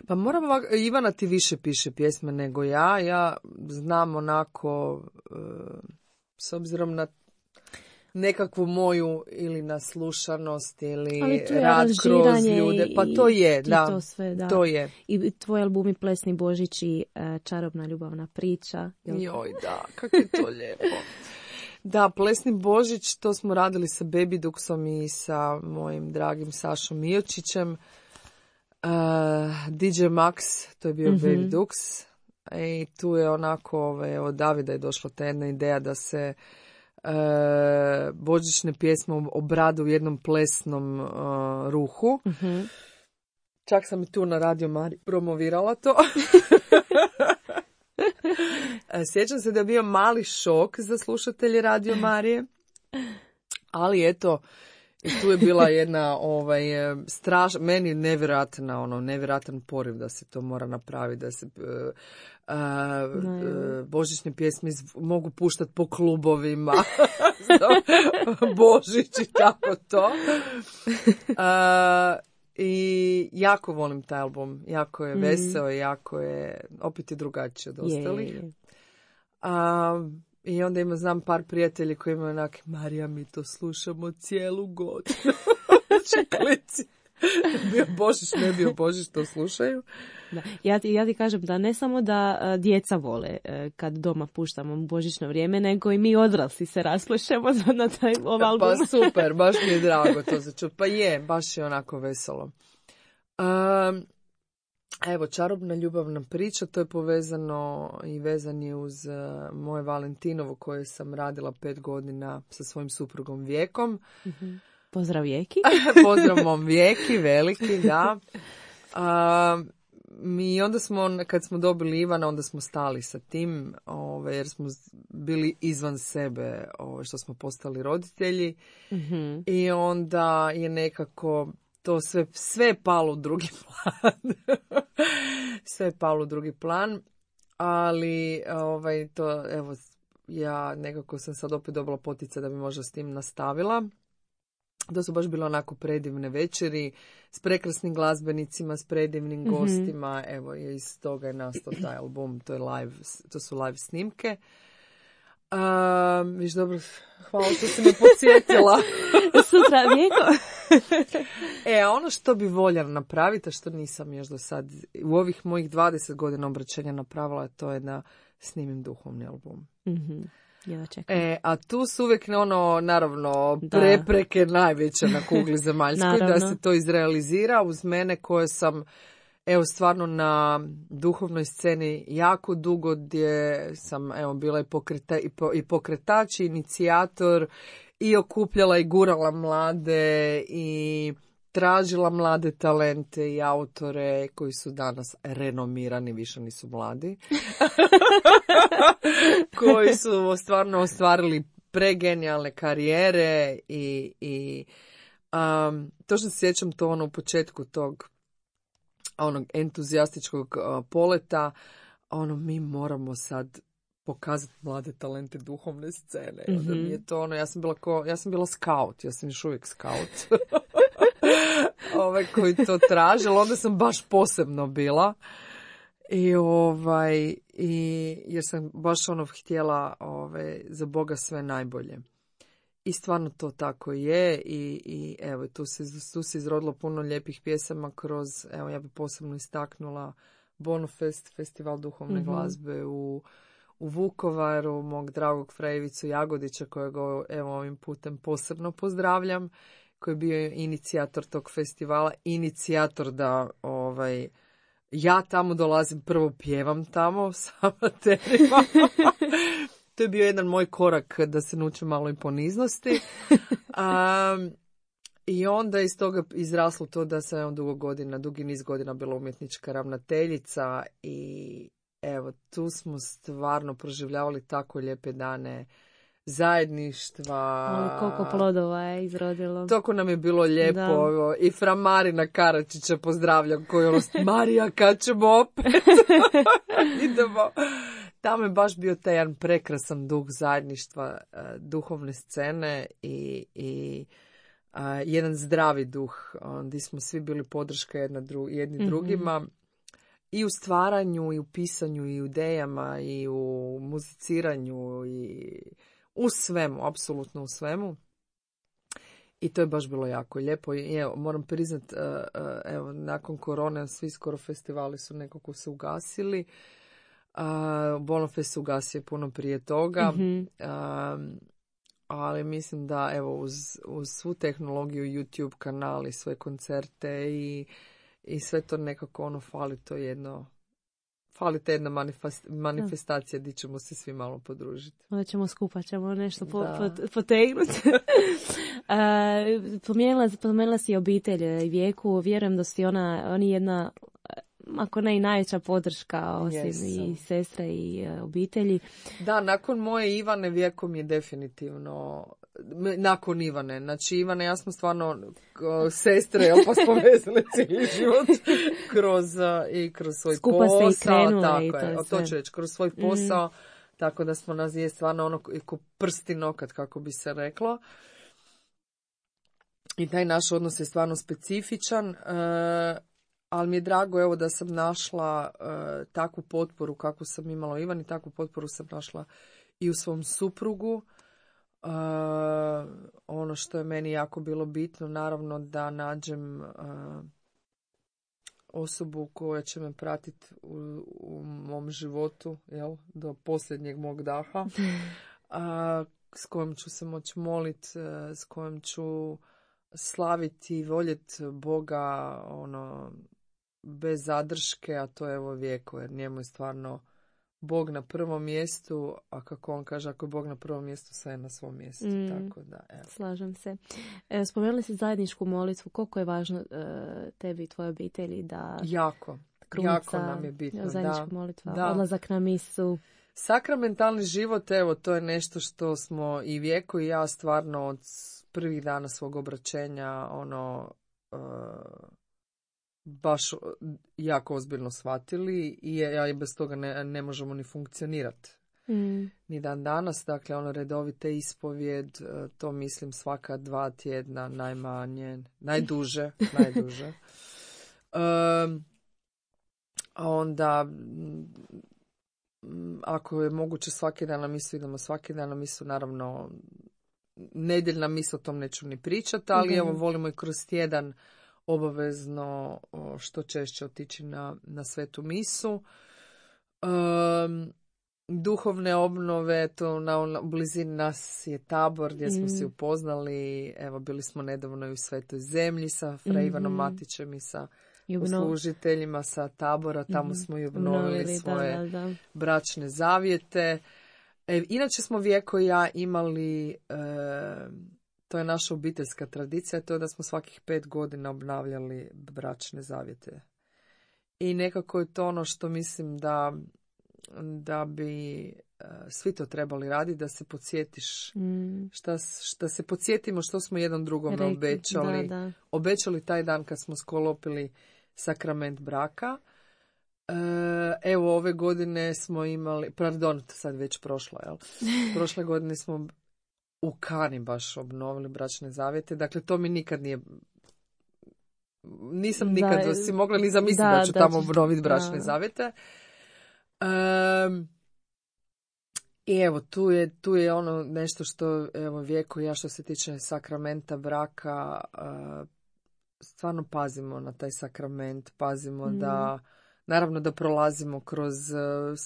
Pa moram ovako, Ivana ti više piše pjesme nego ja. Ja znam onako, e, s obzirom na nekakvu moju ili naslušanost ili Ali tu je rad kroz aranžiranje ljude. Pa i- to je, i da. to sve, da. To je. I tvoj albumi Plesni Božić i e, Čarobna ljubavna priča. Jel? Joj, da, kako je to lijepo. Da, Plesni Božić, to smo radili sa Baby Duxom i sa mojim dragim Sašom Miočićem. Uh, D J Max, to je bio Mhm. Baby Dux. I tu je onako, ove, od Davida je došla ta jedna ideja da se uh, božićne pjesme obrade u jednom plesnom uh, ruhu. Mhm. Čak sam i tu na Radio Mari promovirala to. Sjećam se da je bio mali šok za slušatelje Radio Marije, ali eto, i tu je bila jedna ovaj, straš, meni nevjerojatna, ono, nevjerojatan poriv da se to mora napraviti, da se uh, uh, uh, božićne pjesme iz, mogu puštati po klubovima, Božić i tako to. Uh, I jako volim taj album, jako je veseo, mm. jako je, opet je drugačije od ostalih. Je, je. A, I onda ima, znam par prijatelji koji imaju onak, Marija, mi to slušamo cijelu godinu. Čeklici. Bio Božić, ne bio Božić, to slušaju. Da. Ja, ti, ja ti kažem da ne samo da a, djeca vole a, kad doma puštamo božićno vrijeme, nego i mi odrasli se rasplešemo na taj ovaj album. Pa super, baš mi je drago to za čut. Pa je, baš je onako veselo. Um, evo, Čarobna ljubavna priča, to je povezano i vezan je uz uh, moje Valentinovo koje sam radila pet godina sa svojim suprugom Vijekom. Mm-hmm. Pozdrav Vijeki. Pozdrav mom Vijeki, veliki, da. Uh, mi onda smo, kad smo dobili Ivana, onda smo stali sa tim, ove, jer smo bili izvan sebe, ove, što smo postali roditelji. Mm-hmm. I onda je nekako to sve, sve palo u drugi plan. Sve je palo u drugi plan, ali ovaj, to, evo, ja nekako sam sad opet dobila poticaj da bi možda s tim nastavila. To su baš bile onako predivne večeri s prekrasnim glazbenicima, s predivnim mm-hmm. gostima. Evo, iz toga je nastao taj album, to, je live, to su live snimke. Um, viš dobro, hvala što si me podsjetila. Sutra Vijeko. E, a ono što bi voljela napraviti, a što nisam još do sad u ovih mojih dvadeset godina obraćanja napravila, to je da snimim duhovni album. Mm-hmm. Ja čekam. E, a tu su uvijek ono, naravno, prepreke da. najveće na kugli zemaljskoj da se to izrealizira uz mene koje sam, evo, stvarno na duhovnoj sceni jako dugo, gdje sam, evo, bila i, pokreta, i, po, i pokretač, i inicijator, i okupljala i gurala mlade i tražila mlade talente i autore koji su danas renomirani, više nisu mladi, koji su stvarno ostvarili pregenijalne karijere i, i um, to što se sjećam to ono u početku tog onog entuzijastičkog uh, poleta, ono mi moramo sad pokazati mlade talente duhovne scene. Mm-hmm. Onda mi je to ono, ja sam bila ko, ja sam bila scout, ja sam još uvijek scout. Ovaj koji to traže, ali onda sam baš posebno bila. I ovaj i jer sam baš ono htjela ovaj za Boga sve najbolje. I stvarno to tako je i, i evo tu se tu se izrodilo puno lijepih pjesama kroz, evo ja bih posebno istaknula Bonofest, festival duhovne mm-hmm. glazbe u u Vukovaru, mog dragog Frejevicu Jagodića kojeg evo ovim putem posebno pozdravljam, koji je bio inicijator tog festivala, inicijator da ovaj ja tamo dolazim, prvo pjevam tamo sa amaterima. To je bio jedan moj korak da se naučim malo i poniznosti. Um, I onda iz toga izraslo to da sam dugo godina, dugi niz godina bila umjetnička ravnateljica i evo, tu smo stvarno proživljavali tako lijepe dane zajedništva. O, koliko plodova je izrodilo. Toko nam je bilo lijepo. Da. I fra Marina Karačića pozdravljam koji ono, Marija, kad ćemo opet? Idemo. Tamo je baš bio taj jedan prekrasan duh zajedništva, duhovne scene i, i uh, jedan zdravi duh, gdje smo svi bili podrška jedna dru, jedni mm-hmm. drugima. I u stvaranju, i u pisanju, i u idejama, i u muziciranju, i u svemu, apsolutno u svemu. I to je baš bilo jako lijepo. I evo, moram priznat, uh, uh, evo, nakon korone svi skoro festivali su nekako se ugasili. Uh, Bolonfest se ugasio puno prije toga. Mhm. Um, ali mislim da evo uz, uz svu tehnologiju, YouTube kanali, sve koncerte i, i sve to nekako ono fali to jedno, fali te jedna manifest, manifestacija gdje ćemo se svi malo podružiti. Onda ćemo skupa, ćemo nešto po, Da. po, potegnuti. Pomenula, pomenula si obitelj i Vijeku, vjerujem da si ona, oni jedna, ako ne i najveća podrška osim Yes. i sestre i uh, obitelji. Da, nakon moje Ivane Vijeko mi je definitivno, nakon Ivane, znači Ivane ja smo stvarno ko, sestre, jel, pa smo vezali cijeli život kroz, i kroz svoj Skupa posao. ste i krenule tako i to je, je to sve. ću reći, kroz svoj posao, mm. tako da smo nas je stvarno ono ko prsti nokat, kako bi se reklo. I taj naš odnos je stvarno specifičan, uh, ali mi je drago evo da sam našla uh, takvu potporu kakvu sam imala u Ivani, takvu potporu sam našla i u svom suprugu. Uh, ono što je meni jako bilo bitno, naravno da nađem uh, osobu koja će me pratiti u, u mom životu, jel, do posljednjeg mog daha, uh, s kojom ću se moći moliti, uh, s kojom ću slaviti i voljeti Boga ono, bez zadrške, a to je evo Vijeko, jer njemu je stvarno Bog na prvom mjestu, a kako on kaže, ako je Bog na prvom mjestu, sve je na svom mjestu. Mm, tako da, evo. Slažem se. E, spomenuli si zajedničku molitvu. Koliko je važno e, tebi i tvojoj obitelji da... Jako, krunca, jako nam je bitno. Zajednička da, molitva, da. odlazak na misu. Sakramentalni život, evo, to je nešto što smo i Vijeko i ja stvarno od prvih dana svog obraćenja, ono... Uh, baš jako ozbiljno shvatili i ja i bez toga ne, ne možemo ni funkcionirati. Mm. Ni dan danas, dakle ono redovite ispovjed, to mislim svaka dva tjedna najmanje, najduže, najduže. Um, a onda ako je moguće svaki dan na misu, idemo svaki dan na misu, naravno nedjeljna misa, o tom neću ni pričati, ali mm. evo volimo i kroz tjedan obavezno što češće otići na, na svetu misu. Um, duhovne obnove, to na, na blizini nas je Tabor gdje smo mm. se upoznali. Evo, bili smo nedavno i u Svetoj zemlji sa Fra mm-hmm. Ivanom Matićem i sa poslužiteljima sa Tabora. Tamo mm-hmm. smo i obnovili, obnovili svoje da, da, da. bračne zavjete. E, inače smo Vijeko i ja imali... E, to je naša obiteljska tradicija, to je da smo svakih pet godina obnavljali bračne zavjete. I nekako je to ono što mislim da, da bi uh, svi to trebali raditi, da se podsjetiš, mm. šta, šta se podsjetimo što smo jedan drugome Reki, obećali. Da, da. Obećali taj dan kad smo sklopili sakrament braka. Uh, evo, ove godine smo imali, pardon, sad već prošlo, jel? Prošle godine smo u Kani baš obnovili bračne zavjete. Dakle, to mi nikad nije... Nisam nikad da, si mogla ni zamisliti da, da ću da, tamo obnoviti bračne da. zavjete. Um, I evo, tu je, tu je ono nešto što, evo, Vijeko i ja što se tiče sakramenta braka, uh, stvarno pazimo na taj sakrament, pazimo mm. da, naravno da prolazimo kroz... Uh,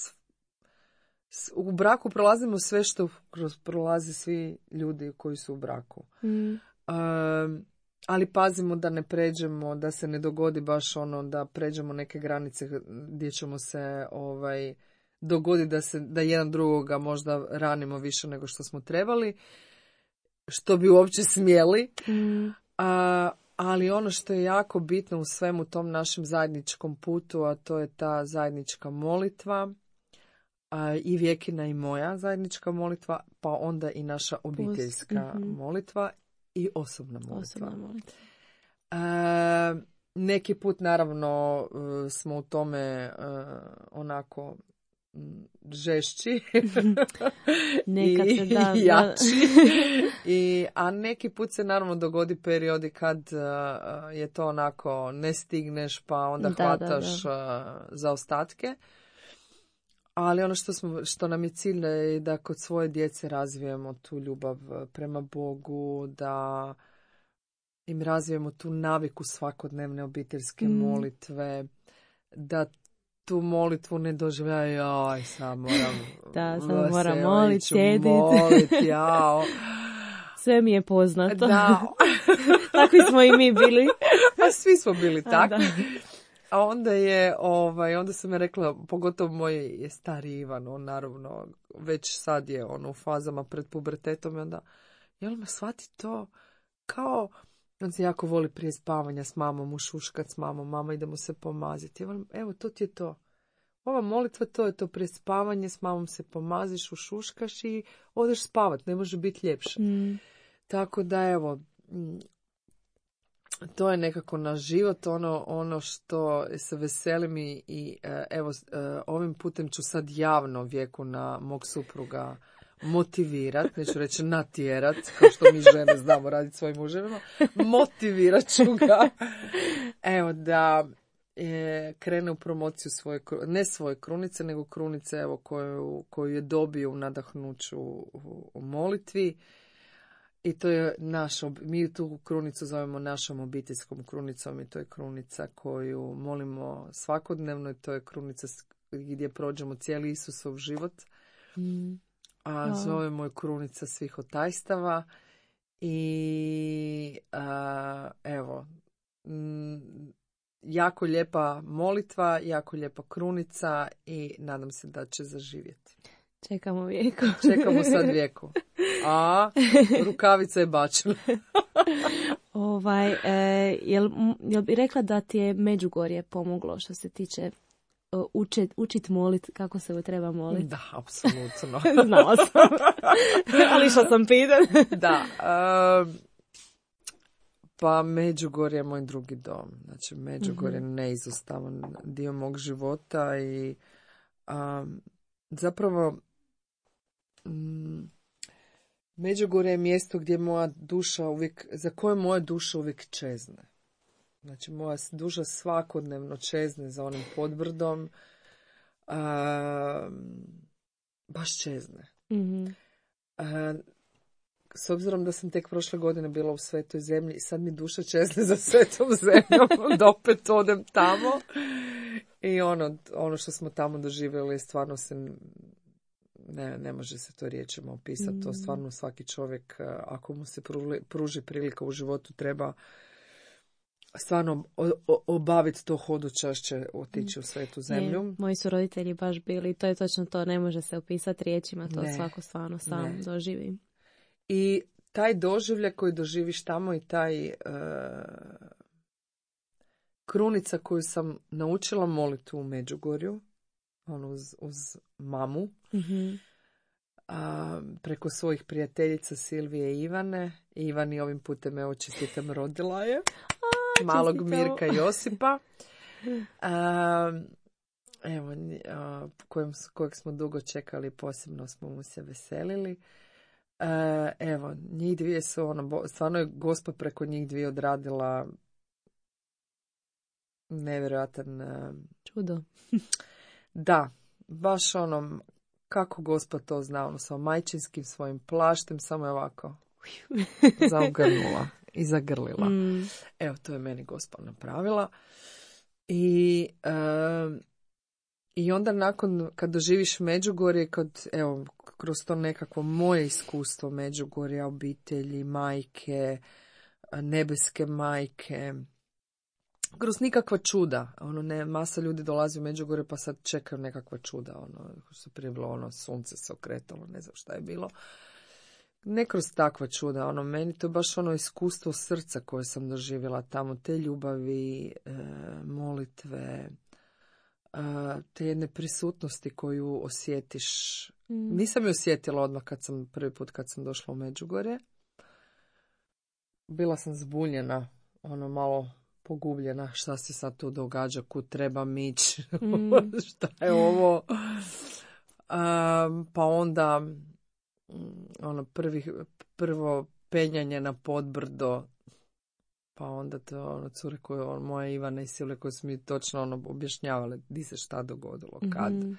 U braku prolazimo sve što kroz prolaze svi ljudi koji su u braku. Mm. Um, ali pazimo da ne pređemo, da se ne dogodi baš ono da pređemo neke granice gdje ćemo se ovaj, dogodi da, se, da jedan drugoga možda ranimo više nego što smo trebali, što bi uopće smjeli. Mm. Uh, ali ono što je jako bitno u svemu tom našem zajedničkom putu, a to je ta zajednička molitva, a, i Vijekina i moja zajednička molitva, pa onda i naša obiteljska mm-hmm. molitva i osobna molitva. Osobna molitva. A, neki put naravno smo u tome a, onako žešći Nekad i, se da, i jači. I, a neki put se naravno dogodi periodi kad uh, je to onako ne stigneš pa onda da, hvataš da, da. Uh, zaostatke. Ali ono što, smo, što nam je cilj je da kod svoje djece razvijemo tu ljubav prema Bogu, da im razvijemo tu naviku svakodnevne obiteljske Mm. molitve, da tu molitvu ne doživljaju, aj, sad moram, Da, sad moram se, molit, ću sjedit. molit, jao. Sve mi je poznato. Da. Takvi smo i mi bili. A svi smo bili A, takvi. da. A onda je, ovaj, onda sam je rekla, pogotovo moj je stari Ivan, on naravno već sad je on u fazama pred pubertetom i onda, jel me shvati to kao, on se jako voli prije spavanja s mamom ušuškat s mamom, mama idemo se pomaziti. Evo, evo to ti je to. Ova molitva, to je to prije spavanje, s mamom se pomaziš, ušuškaš i odeš spavat, ne može biti ljepše. Mm. Tako da evo, to je nekako naš život, ono, ono što se veselim i, i evo, ovim putem ću sad javno Vjeku na mog supruga motivirat, neću reći natjerat, kao što mi žene znamo raditi svojim muževima, motivirat ću ga, evo, da e, krene u promociju svoje, ne svoje krunice, nego krunice, evo, koju, koju je dobio u nadahnuću u, u molitvi. I to je naš, mi tu krunicu zovemo našom obiteljskom krunicom i to je krunica koju molimo svakodnevno i to je krunica gdje prođemo cijeli Isusov život. Mm. A Wow. zovemo je krunica svih otajstava i a, evo, m, jako lijepa molitva, jako lijepa krunica i nadam se da će zaživjeti. Čekamo Vijeku. Čekamo sad Vijeku. A rukavica je bačena. ovaj, e, jel, jel bi rekla da ti je Međugorje pomoglo što se tiče uh, učit, učit molit, kako se treba moliti? Da, apsolutno. Znala sam. Ali što sam pitan. Da. Um, pa Međugorje je moj drugi dom. Znači, Međugorje je mm-hmm. neizostavan dio mog života i um, zapravo um, Međugorje je mjesto gdje moja duša uvijek, za koje moja duša uvijek čezne. Znači, moja duša svakodnevno čezne za onim podbrdom. A, baš čezne. Mm-hmm. A, s obzirom da sam tek prošle godine bila u Svetoj zemlji, sad mi duša čezne za Svetom zemljom, da opet odem tamo. I ono, ono što smo tamo doživjeli, stvarno se... Ne, ne može se to riječima opisati. Mm. To stvarno svaki čovjek, ako mu se pruži prilika u životu, treba stvarno obaviti to hodočašće, otići u Svetu zemlju. Ne, moji su roditelji baš bili, to je točno to, ne može se opisati riječima, to ne. Svako stvarno sam ne. Doživi. I taj doživljaj koji doživiš tamo i taj uh, krunica koju sam naučila moliti u Međugorju, ono uz, uz mamu, mm-hmm. a, preko svojih prijateljica Silvije i Ivane. Ivani ovim putem, evo, čestitam, rodila je. A, malog čestito. Mirka i Josipa. A, evo, a, kojem, kojeg smo dugo čekali, posebno smo mu se veselili. A, evo, njih dvije su, ono, stvarno je Gospa preko njih dvije odradila nevjerojatan čudo. Da, baš ono, kako Gospod to zna, ono, sa majčinskim svojim plaštem, samo je ovako zaogrnula i zagrlila. Mm. Evo, to je meni Gospod napravila. I, uh, i onda nakon, kad doživiš Međugorje, kad, evo, kroz to nekakvo moje iskustvo Međugorja, obitelji, majke, nebeske majke, kroz nikakva čuda, ono, ne, masa ljudi dolazi u Međugorje pa sad čekaju nekakva čuda, ono, što prije bilo, ono, sunce se okretalo, ne znam šta je bilo. Ne kroz takva čuda, ono, meni to je baš ono iskustvo srca koje sam doživjela tamo, te ljubavi, e, molitve, e, te jedne prisutnosti koju osjetiš. Mm. Nisam ju osjetila odmah kad sam, prvi put kad sam došla u Međugorje. Bila sam zbunjena, ono, malo pogubljena, šta se sad tu događa, kud treba ići, mm. šta je ovo. Um, pa onda ono prvi, prvo penjanje na podbrdo, pa onda to ono cure koje, ono, moja Ivana i Silve koje su mi točno ono objašnjavale di se šta dogodilo, kad, mm-hmm.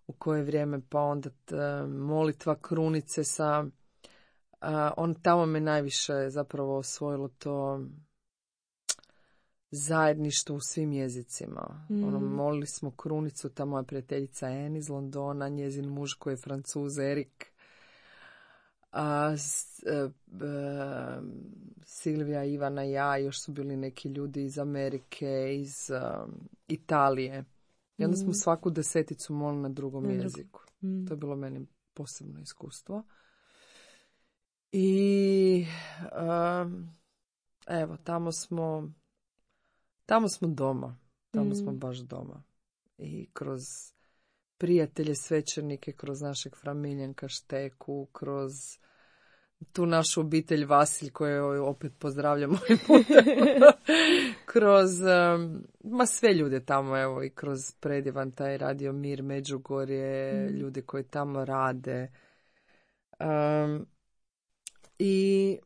u koje vrijeme, pa onda t, molitva krunice sa A, on tamo me najviše zapravo osvojilo to zajedništvo u svim jezicima. Mm. Ono, molili smo krunicu, ta moja prijateljica Anne iz Londona, njezin muž koji je Francuz, Erik, a, s, e, e, Silvija, Ivana i ja, još su bili neki ljudi iz Amerike, iz um, Italije. I onda smo svaku deseticu molili na drugom na jeziku. Mm. To je bilo meni posebno iskustvo. I um, evo, tamo smo tamo smo doma. Tamo mm. smo baš doma. I kroz prijatelje, svećenike, kroz našeg Framiljenka Šteku, kroz tu našu obitelj Vasilj koju opet pozdravljamo ovim putem. kroz um, ma sve ljude tamo, evo, i kroz predivan taj Radio Mir, Međugorje, mm. ljudi koji tamo rade. Um, I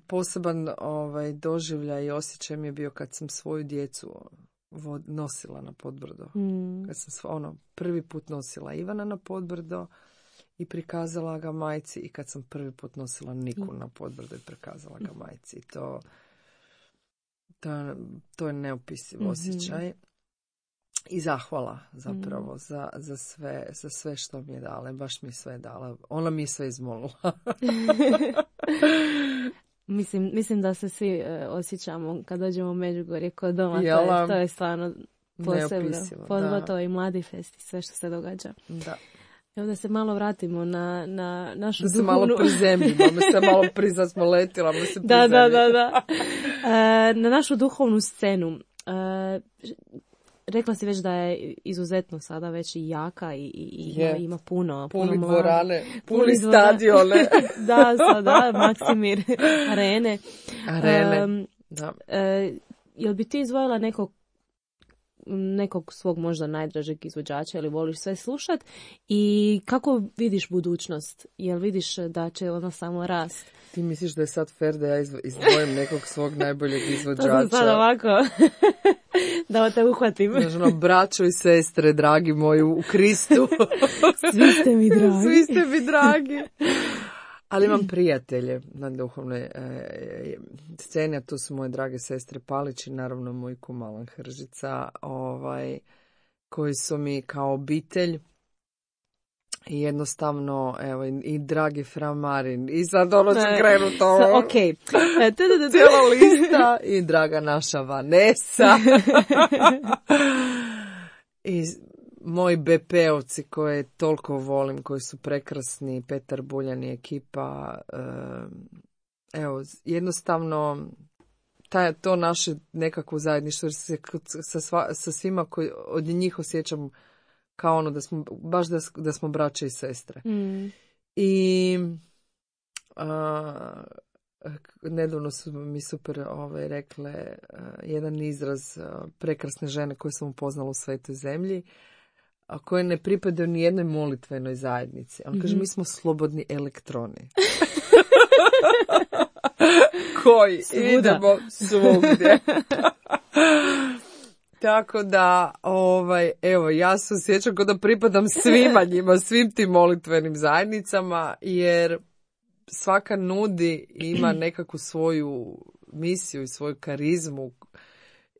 poseban ovaj, doživljaj i osjećaj mi je bio kad sam svoju djecu vod, nosila na Podbrdo. Mm. Kad sam ono, prvi put nosila Ivana na Podbrdo i prikazala ga majci, i kad sam prvi put nosila Niku na Podbrdo i prikazala ga majci. To, to, to je neopisiv mm-hmm. osjećaj. I zahvala zapravo mm. za, za, sve, za sve što mi je dala. Baš mi je sve dala. Ona mi je sve izmolila. mislim, mislim da se svi uh, osjećamo kad dođemo u Međugorje kod doma. To je, to je stvarno posebno. Podgotovo i Mladi fest i sve što se događa. Da. Evo da se malo vratimo na, na našu da duhovnu... Da se malo prizemljimo. Mi se malo prizad smo letila. Mi se da, da, da, da. Uh, na našu duhovnu scenu. Uh, Rekla si već da je izuzetno sada već i jaka i, i ima, yeah. ima puno. Puni puno dvorane, puni stadione. da, sada, Maksimir, arene. Arene, um, da. Uh, jel bi ti izvojila nekog, nekog svog možda najdražeg izvođača ili voliš sve slušat? I kako vidiš budućnost? Jel vidiš da će ona samo rast? Ti misliš da je sad fair da ja izdvojim nekog svog najboljeg izvođača? To sam sad ovako... da te uhvatim. Znači, ono, braćo i sestre, dragi moji u Kristu. Svi ste mi dragi. Svi ste mi dragi. Ali imam prijatelje na duhovnoj e, sceni, a tu su moje drage sestre Palić i naravno moj kum Alan Hržica, ovaj, koji su mi kao obitelj. I jednostavno, evo, i, i dragi Fra Marin, i sad ono će krenuti ovo. So, ok. Cijela lista, i draga naša Vanessa. I moji be pe-ovci koje toliko volim, koji su prekrasni, Petar Buljan i ekipa. Evo, jednostavno, taj, to naše nekako zajedništvo, jer se sa, sva, sa svima koji od njih osjećam kao ono da smo, baš da, da smo braće i sestre. Mm. I a, nedavno su mi super ovaj, rekle a, jedan izraz a, prekrasne žene koje sam upoznala u Svetoj zemlji, a koje ne pripadaju ni jednoj molitvenoj zajednici. On mm-hmm. kaže, mi smo slobodni elektroni. koji Svuda. Idemo svugdje. Tako da, ovaj, evo, ja se osjećam kao da pripadam svima njima, svim tim molitvenim zajednicama, jer svaka nudi i ima nekakvu svoju misiju i svoju karizmu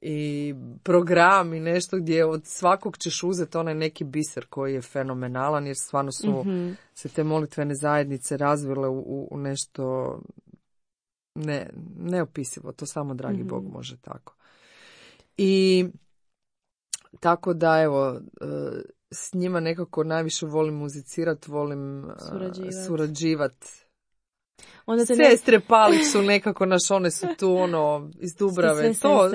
i program i nešto gdje od svakog ćeš uzeti onaj neki biser koji je fenomenalan, jer stvarno su mm-hmm. se te molitvene zajednice razvile u, u nešto ne, neopisivo, to samo dragi mm-hmm. Bog može tako. I tako da, evo, s njima nekako najviše volim muzicirati, volim surađivati. Surađivat. Sestre ne... Palić su nekako naš, one su tu ono iz Dubrave. To,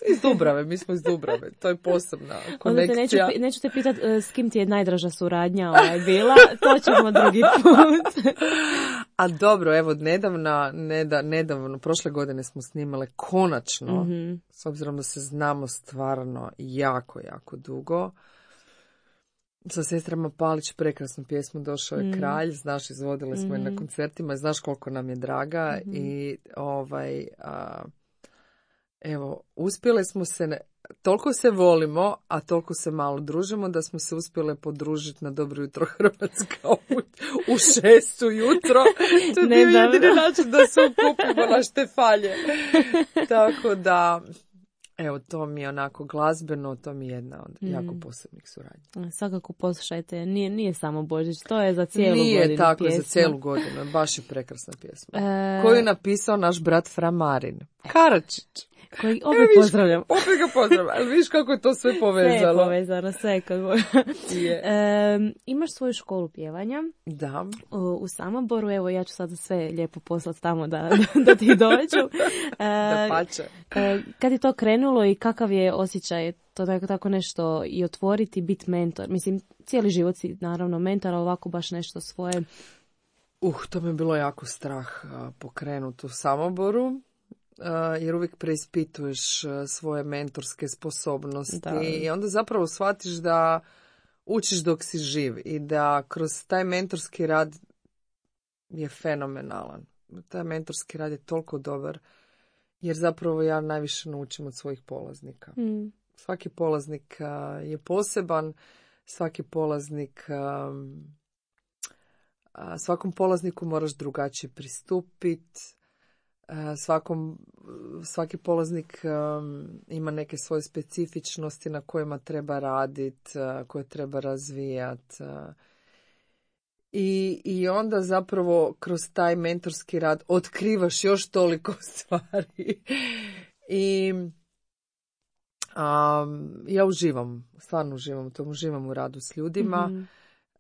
iz Dubrave, mi smo iz Dubrave, to je posebna konekcija. Onda te neću, neću te pitat s kim ti je najdraža suradnja ovaj bila, to ćemo drugi put. A dobro, evo, nedavno, neda, nedavno, prošle godine smo snimale konačno, mm-hmm. s obzirom da se znamo stvarno jako, jako dugo, sa sestrama Palić prekrasnu pjesmu Došao je mm. kralj, znaš, izvodile smo mm-hmm. je na koncertima, znaš koliko nam je draga mm-hmm. i ovaj, a, evo, uspjele smo se toliko se volimo, a toliko se malo družimo da smo se uspjele podružiti na Dobro jutro Hrvatska u, u šest ujutro. To je bio jedini način da se okupimo na Štefalje. Tako da, evo, to mi je onako glazbeno, to mi je jedna od mm. jako posebnih suradnja. Svakako poslušajte, nije, nije samo Božić, to je za cijelu nije godinu Nije tako, pjesma. Za cijelu godinu, baš je prekrasna pjesma. E... Koju je napisao naš brat Fra Marin Karačić. Koji opet viš, pozdravljam. Opet ga pozdravljam, ali viš kako je to sve povezano. Sve je povezano, sve. Kad... e, imaš svoju školu pjevanja. Da. U, u Samoboru, evo ja ću sad sve lijepo poslati tamo da, da ti dođu. E, da pače. E, kad je to krenulo i kakav je osjećaj to tako, tako nešto i otvoriti, biti mentor? Mislim, cijeli život si naravno mentor, ali ovako baš nešto svoje. Uh, to mi je bilo jako strah pokrenuti u Samoboru. Uh, jer uvijek preispituješ uh, svoje mentorske sposobnosti da. I onda zapravo shvatiš da učiš dok si živ i da kroz taj mentorski rad je fenomenalan. Taj mentorski rad je toliko dobar jer zapravo ja najviše naučim od svojih polaznika. Mm. Svaki polaznik uh, je poseban, svaki polaznik um, uh, svakom polazniku moraš drugačije pristupiti. Svakom, svaki polaznik um, ima neke svoje specifičnosti na kojima treba raditi, uh, koje treba razvijati. Uh, i, I onda zapravo kroz taj mentorski rad otkrivaš još toliko stvari. I um, ja uživam, stvarno uživam u tom, uživam u radu s ljudima. Mm-hmm.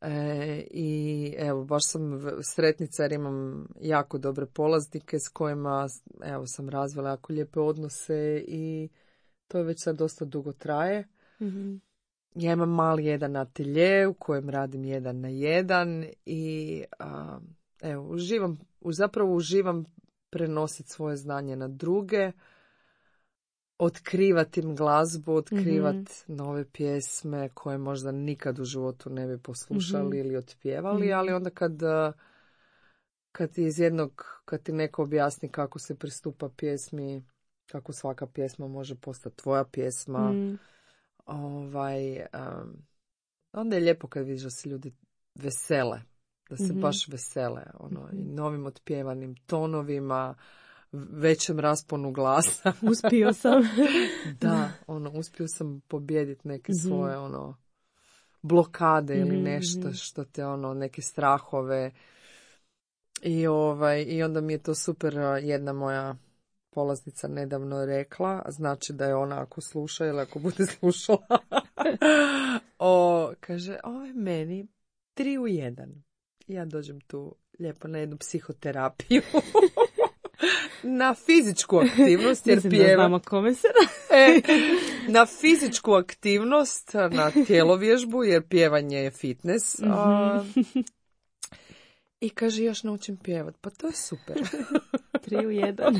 E, I evo, baš sam sretnica jer imam jako dobre polaznike s kojima evo, sam razvila jako lijepe odnose i to je već sad dosta dugo traje. Mm-hmm. Ja imam mali jedan atelje u kojem radim jedan na jedan i a, evo, uživam, zapravo uživam prenositi svoje znanje na druge, otkrivati im glazbu, otkrivati mm-hmm. nove pjesme koje možda nikad u životu ne bi poslušali mm-hmm. ili otpjevali, mm-hmm. ali onda kad, kad ti iz jednog, kad ti neko objasni kako se pristupa pjesmi, kako svaka pjesma može postati tvoja pjesma, mm. ovaj, um, onda je lijepo kad vidiš da se ljudi vesele, da se mm-hmm. baš vesele, ono, mm-hmm. i novim otpjevanim tonovima, većem rasponu glasa. Uspio sam. Da, ono, uspio sam pobijediti neke mm-hmm. svoje, ono, blokade ili mm-hmm. nešto što te, ono, neke strahove. I, ovaj, i onda mi je to super, jedna moja polaznica nedavno rekla, znači da je ona ako sluša ili ako bude slušala, o, kaže, ovo je meni tri u jedan. Ja dođem tu lijepo na jednu psihoterapiju. Na fizičku aktivnost, jer pjevam. Kome se e, na fizičku aktivnost, na tjelovježbu, jer pjevanje je fitness. Mm-hmm. A, I kaže, još naučim pjevat. Pa to je super. Tri u jedan.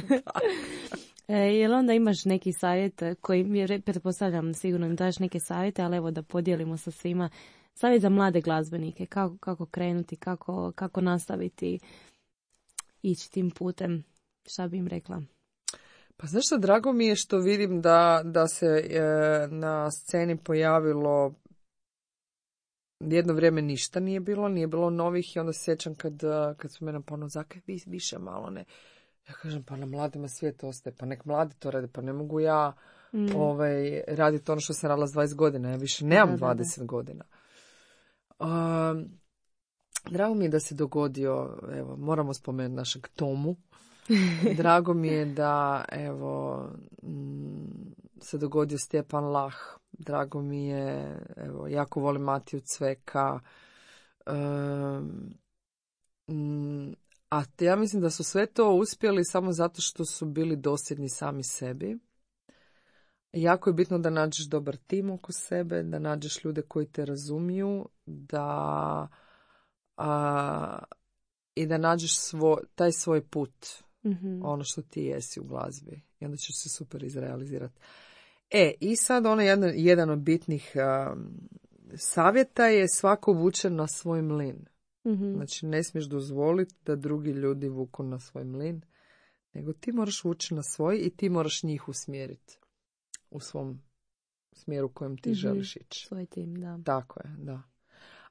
E, jel onda imaš neki savjet koji mi, pretpostavljam, sigurno im daš neke savjete, ali evo da podijelimo sa svima. Savjet za mlade glazbenike, kako, kako krenuti, kako, kako nastaviti ići tim putem. Šta bi im rekla? Pa znaš što, drago mi je što vidim da, da se e, na sceni pojavilo jedno vrijeme ništa nije bilo, nije bilo novih i onda se sjećam kad, kad su mene ponovno zakaj vi više malo ne. Ja kažem, pa na mladima svijet ostaje, pa nek mladi to rade, pa ne mogu ja mm. ovaj, raditi ono što sam radila s dvadeset godina, ja više nemam da, dvadeset da, da. godina. Um, drago mi je da se dogodio, evo, moramo spomenuti našeg Tomu. Drago mi je da, evo, m, se dogodio Stjepan Lah. Drago mi je, evo, jako volim Matiju Cveka. Um, m, a ja mislim da su sve to uspjeli samo zato što su bili dosljedni sami sebi. Jako je bitno da nađeš dobar tim oko sebe, da nađeš ljude koji te razumiju, da a, i da nađeš svo, taj svoj put, mm-hmm. ono što ti jesi u glazbi. I onda ćeš se super izrealizirati. E, i sad ono jedan, jedan od bitnih um, savjeta je svako vuče na svoj mlin. Mm-hmm. Znači, ne smiješ dozvoliti da drugi ljudi vuku na svoj mlin, nego ti moraš vući na svoj i ti moraš njih usmjeriti u svom smjeru kojem ti mm-hmm. želiš ići. Svoj tim, da. Tako je, da.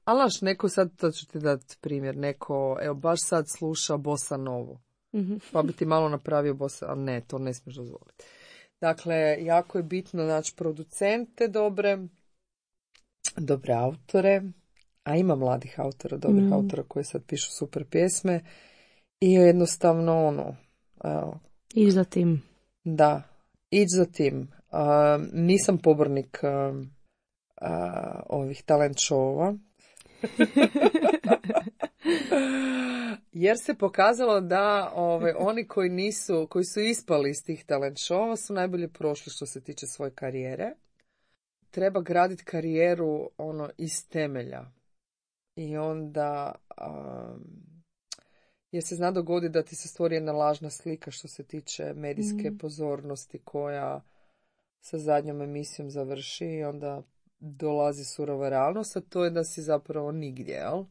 Ali naš, neko sad, to ću ti dati primjer, neko, evo, baš sad sluša bossa novu. Mm-hmm. Pa bi ti malo napravio bossa, ali ne, to ne smiješ dozvoliti. Dakle, jako je bitno naći producente dobre, dobre autore, a ima mladih autora, dobrih mm. autora koji sad pišu super pjesme i jednostavno ono... Evo, ići za tim. Da, ići za tim. Uh, nisam pobornik uh, uh, ovih talent showova. Jer se pokazalo da ove, oni koji nisu, koji su ispali iz tih talent showova su najbolje prošli što se tiče svoje karijere. Treba graditi karijeru ono iz temelja. I onda um, jer se zna dogoditi da ti se stvori jedna lažna slika što se tiče medijske mm. pozornosti koja sa zadnjom emisijom završi i onda dolazi surova realnost, a to je da si zapravo nigdje, jel?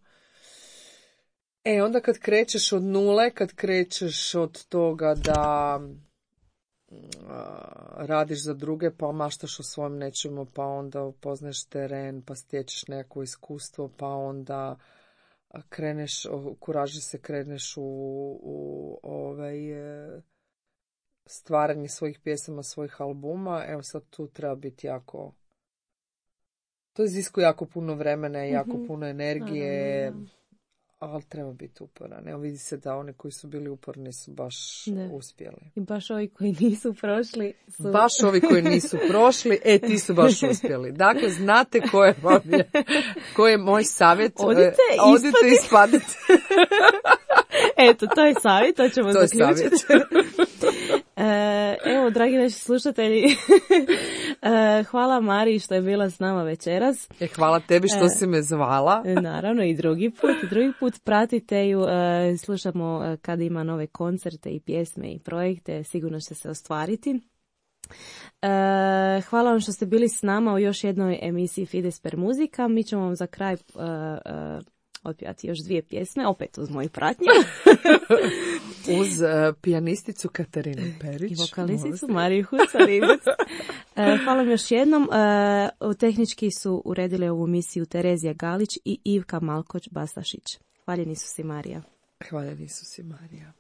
E, onda kad krećeš od nule, kad krećeš od toga da radiš za druge, pa maštaš o svojem nečemu, pa onda upoznaš teren, pa stječeš nekako iskustvo, pa onda kreneš, kuraži se kreneš u, u ovaj, stvaranje svojih pjesama, svojih albuma. Evo sad tu treba biti jako... To iziskuje jako puno vremena i jako mm-hmm. puno energije, ali treba biti uporan. Evo vidi se da oni koji su bili uporni su baš ne. uspjeli. I baš ovi koji nisu prošli su... Baš ovi koji nisu prošli, e ti su baš uspjeli. Dakle, znate ko je, je, ko je moj savjet. Odite, Odite i ispadite. Eto, to je savjet, to ćemo to zaključiti. E, evo, dragi naši slušatelji, e, hvala Mariji što je bila s nama večeras. E, hvala tebi što e, si me zvala. Naravno, i drugi put. Drugi put pratite ju, e, slušamo kada ima nove koncerte i pjesme i projekte, sigurno će se ostvariti. E, hvala vam što ste bili s nama u još jednoj emisiji Fides per muzika. Mi ćemo vam za kraj... E, e, otpjevati još dvije pjesme, opet uz moju pratnju. Uz uh, pijanisticu Katarinu Perić. I vokalisticu Mariju Hucaribac. uh, hvala vam još jednom. Uh, tehnički su uredili ovu emisiju Terezija Galić i Ivka Malkoć-Bastašić. Hvaljeni su si Marija. Hvaljeni su si Marija.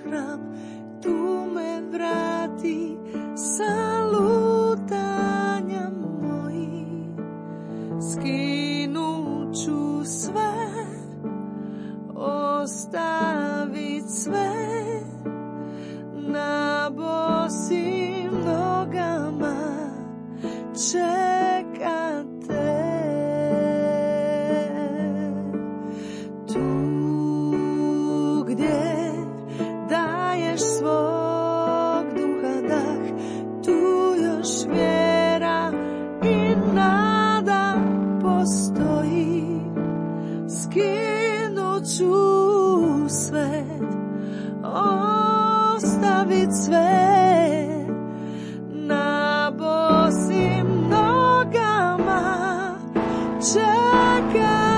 Hram, tu me vrati sa lutanja moji, skinut ću sve, ostavit sve na bosim nogama, čekate. Tu gdje daješ svog duha dah, tu još vjera i nada postoji. Skinut ću sve, ostavit sve na bosim nogama, čekate.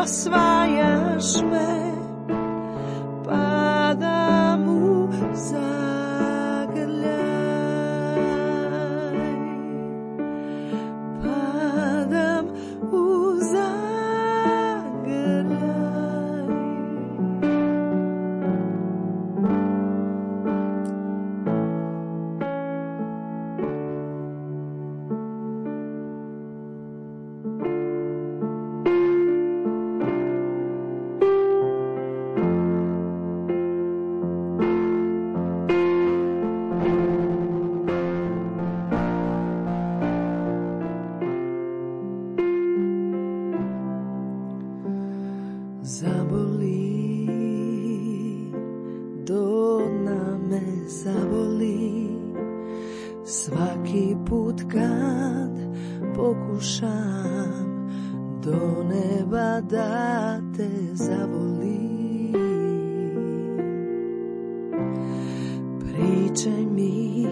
Osvajaš me, pada zaboli, do dna me zaboli, svaki put kad pokušam do neba da te zavolim. Pričaj mi,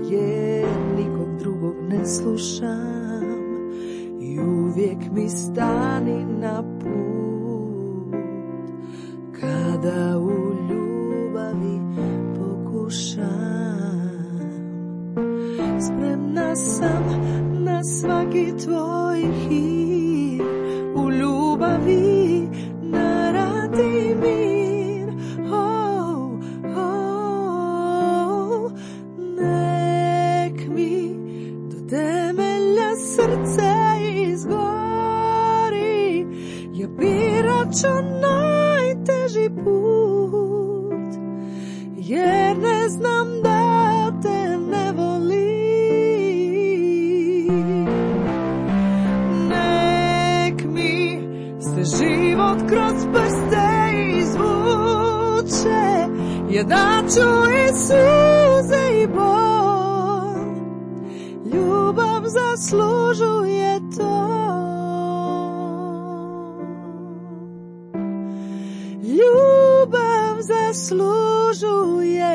jer nikog drugog ne slušam, i uvijek mi stani na put kada u ljubavi pokušam. Spremna sam na svaki tvoj hir, u ljubavi naradi mir. Oh, oh, nek mi do temelja srce izgori, ja birat ću najteži put, jer ne znam da te ne volim. Nek mi se život kroz prste izvuče, ja daću i suze i bol, ljubav zaslužuje to. Ljubav zaslužuje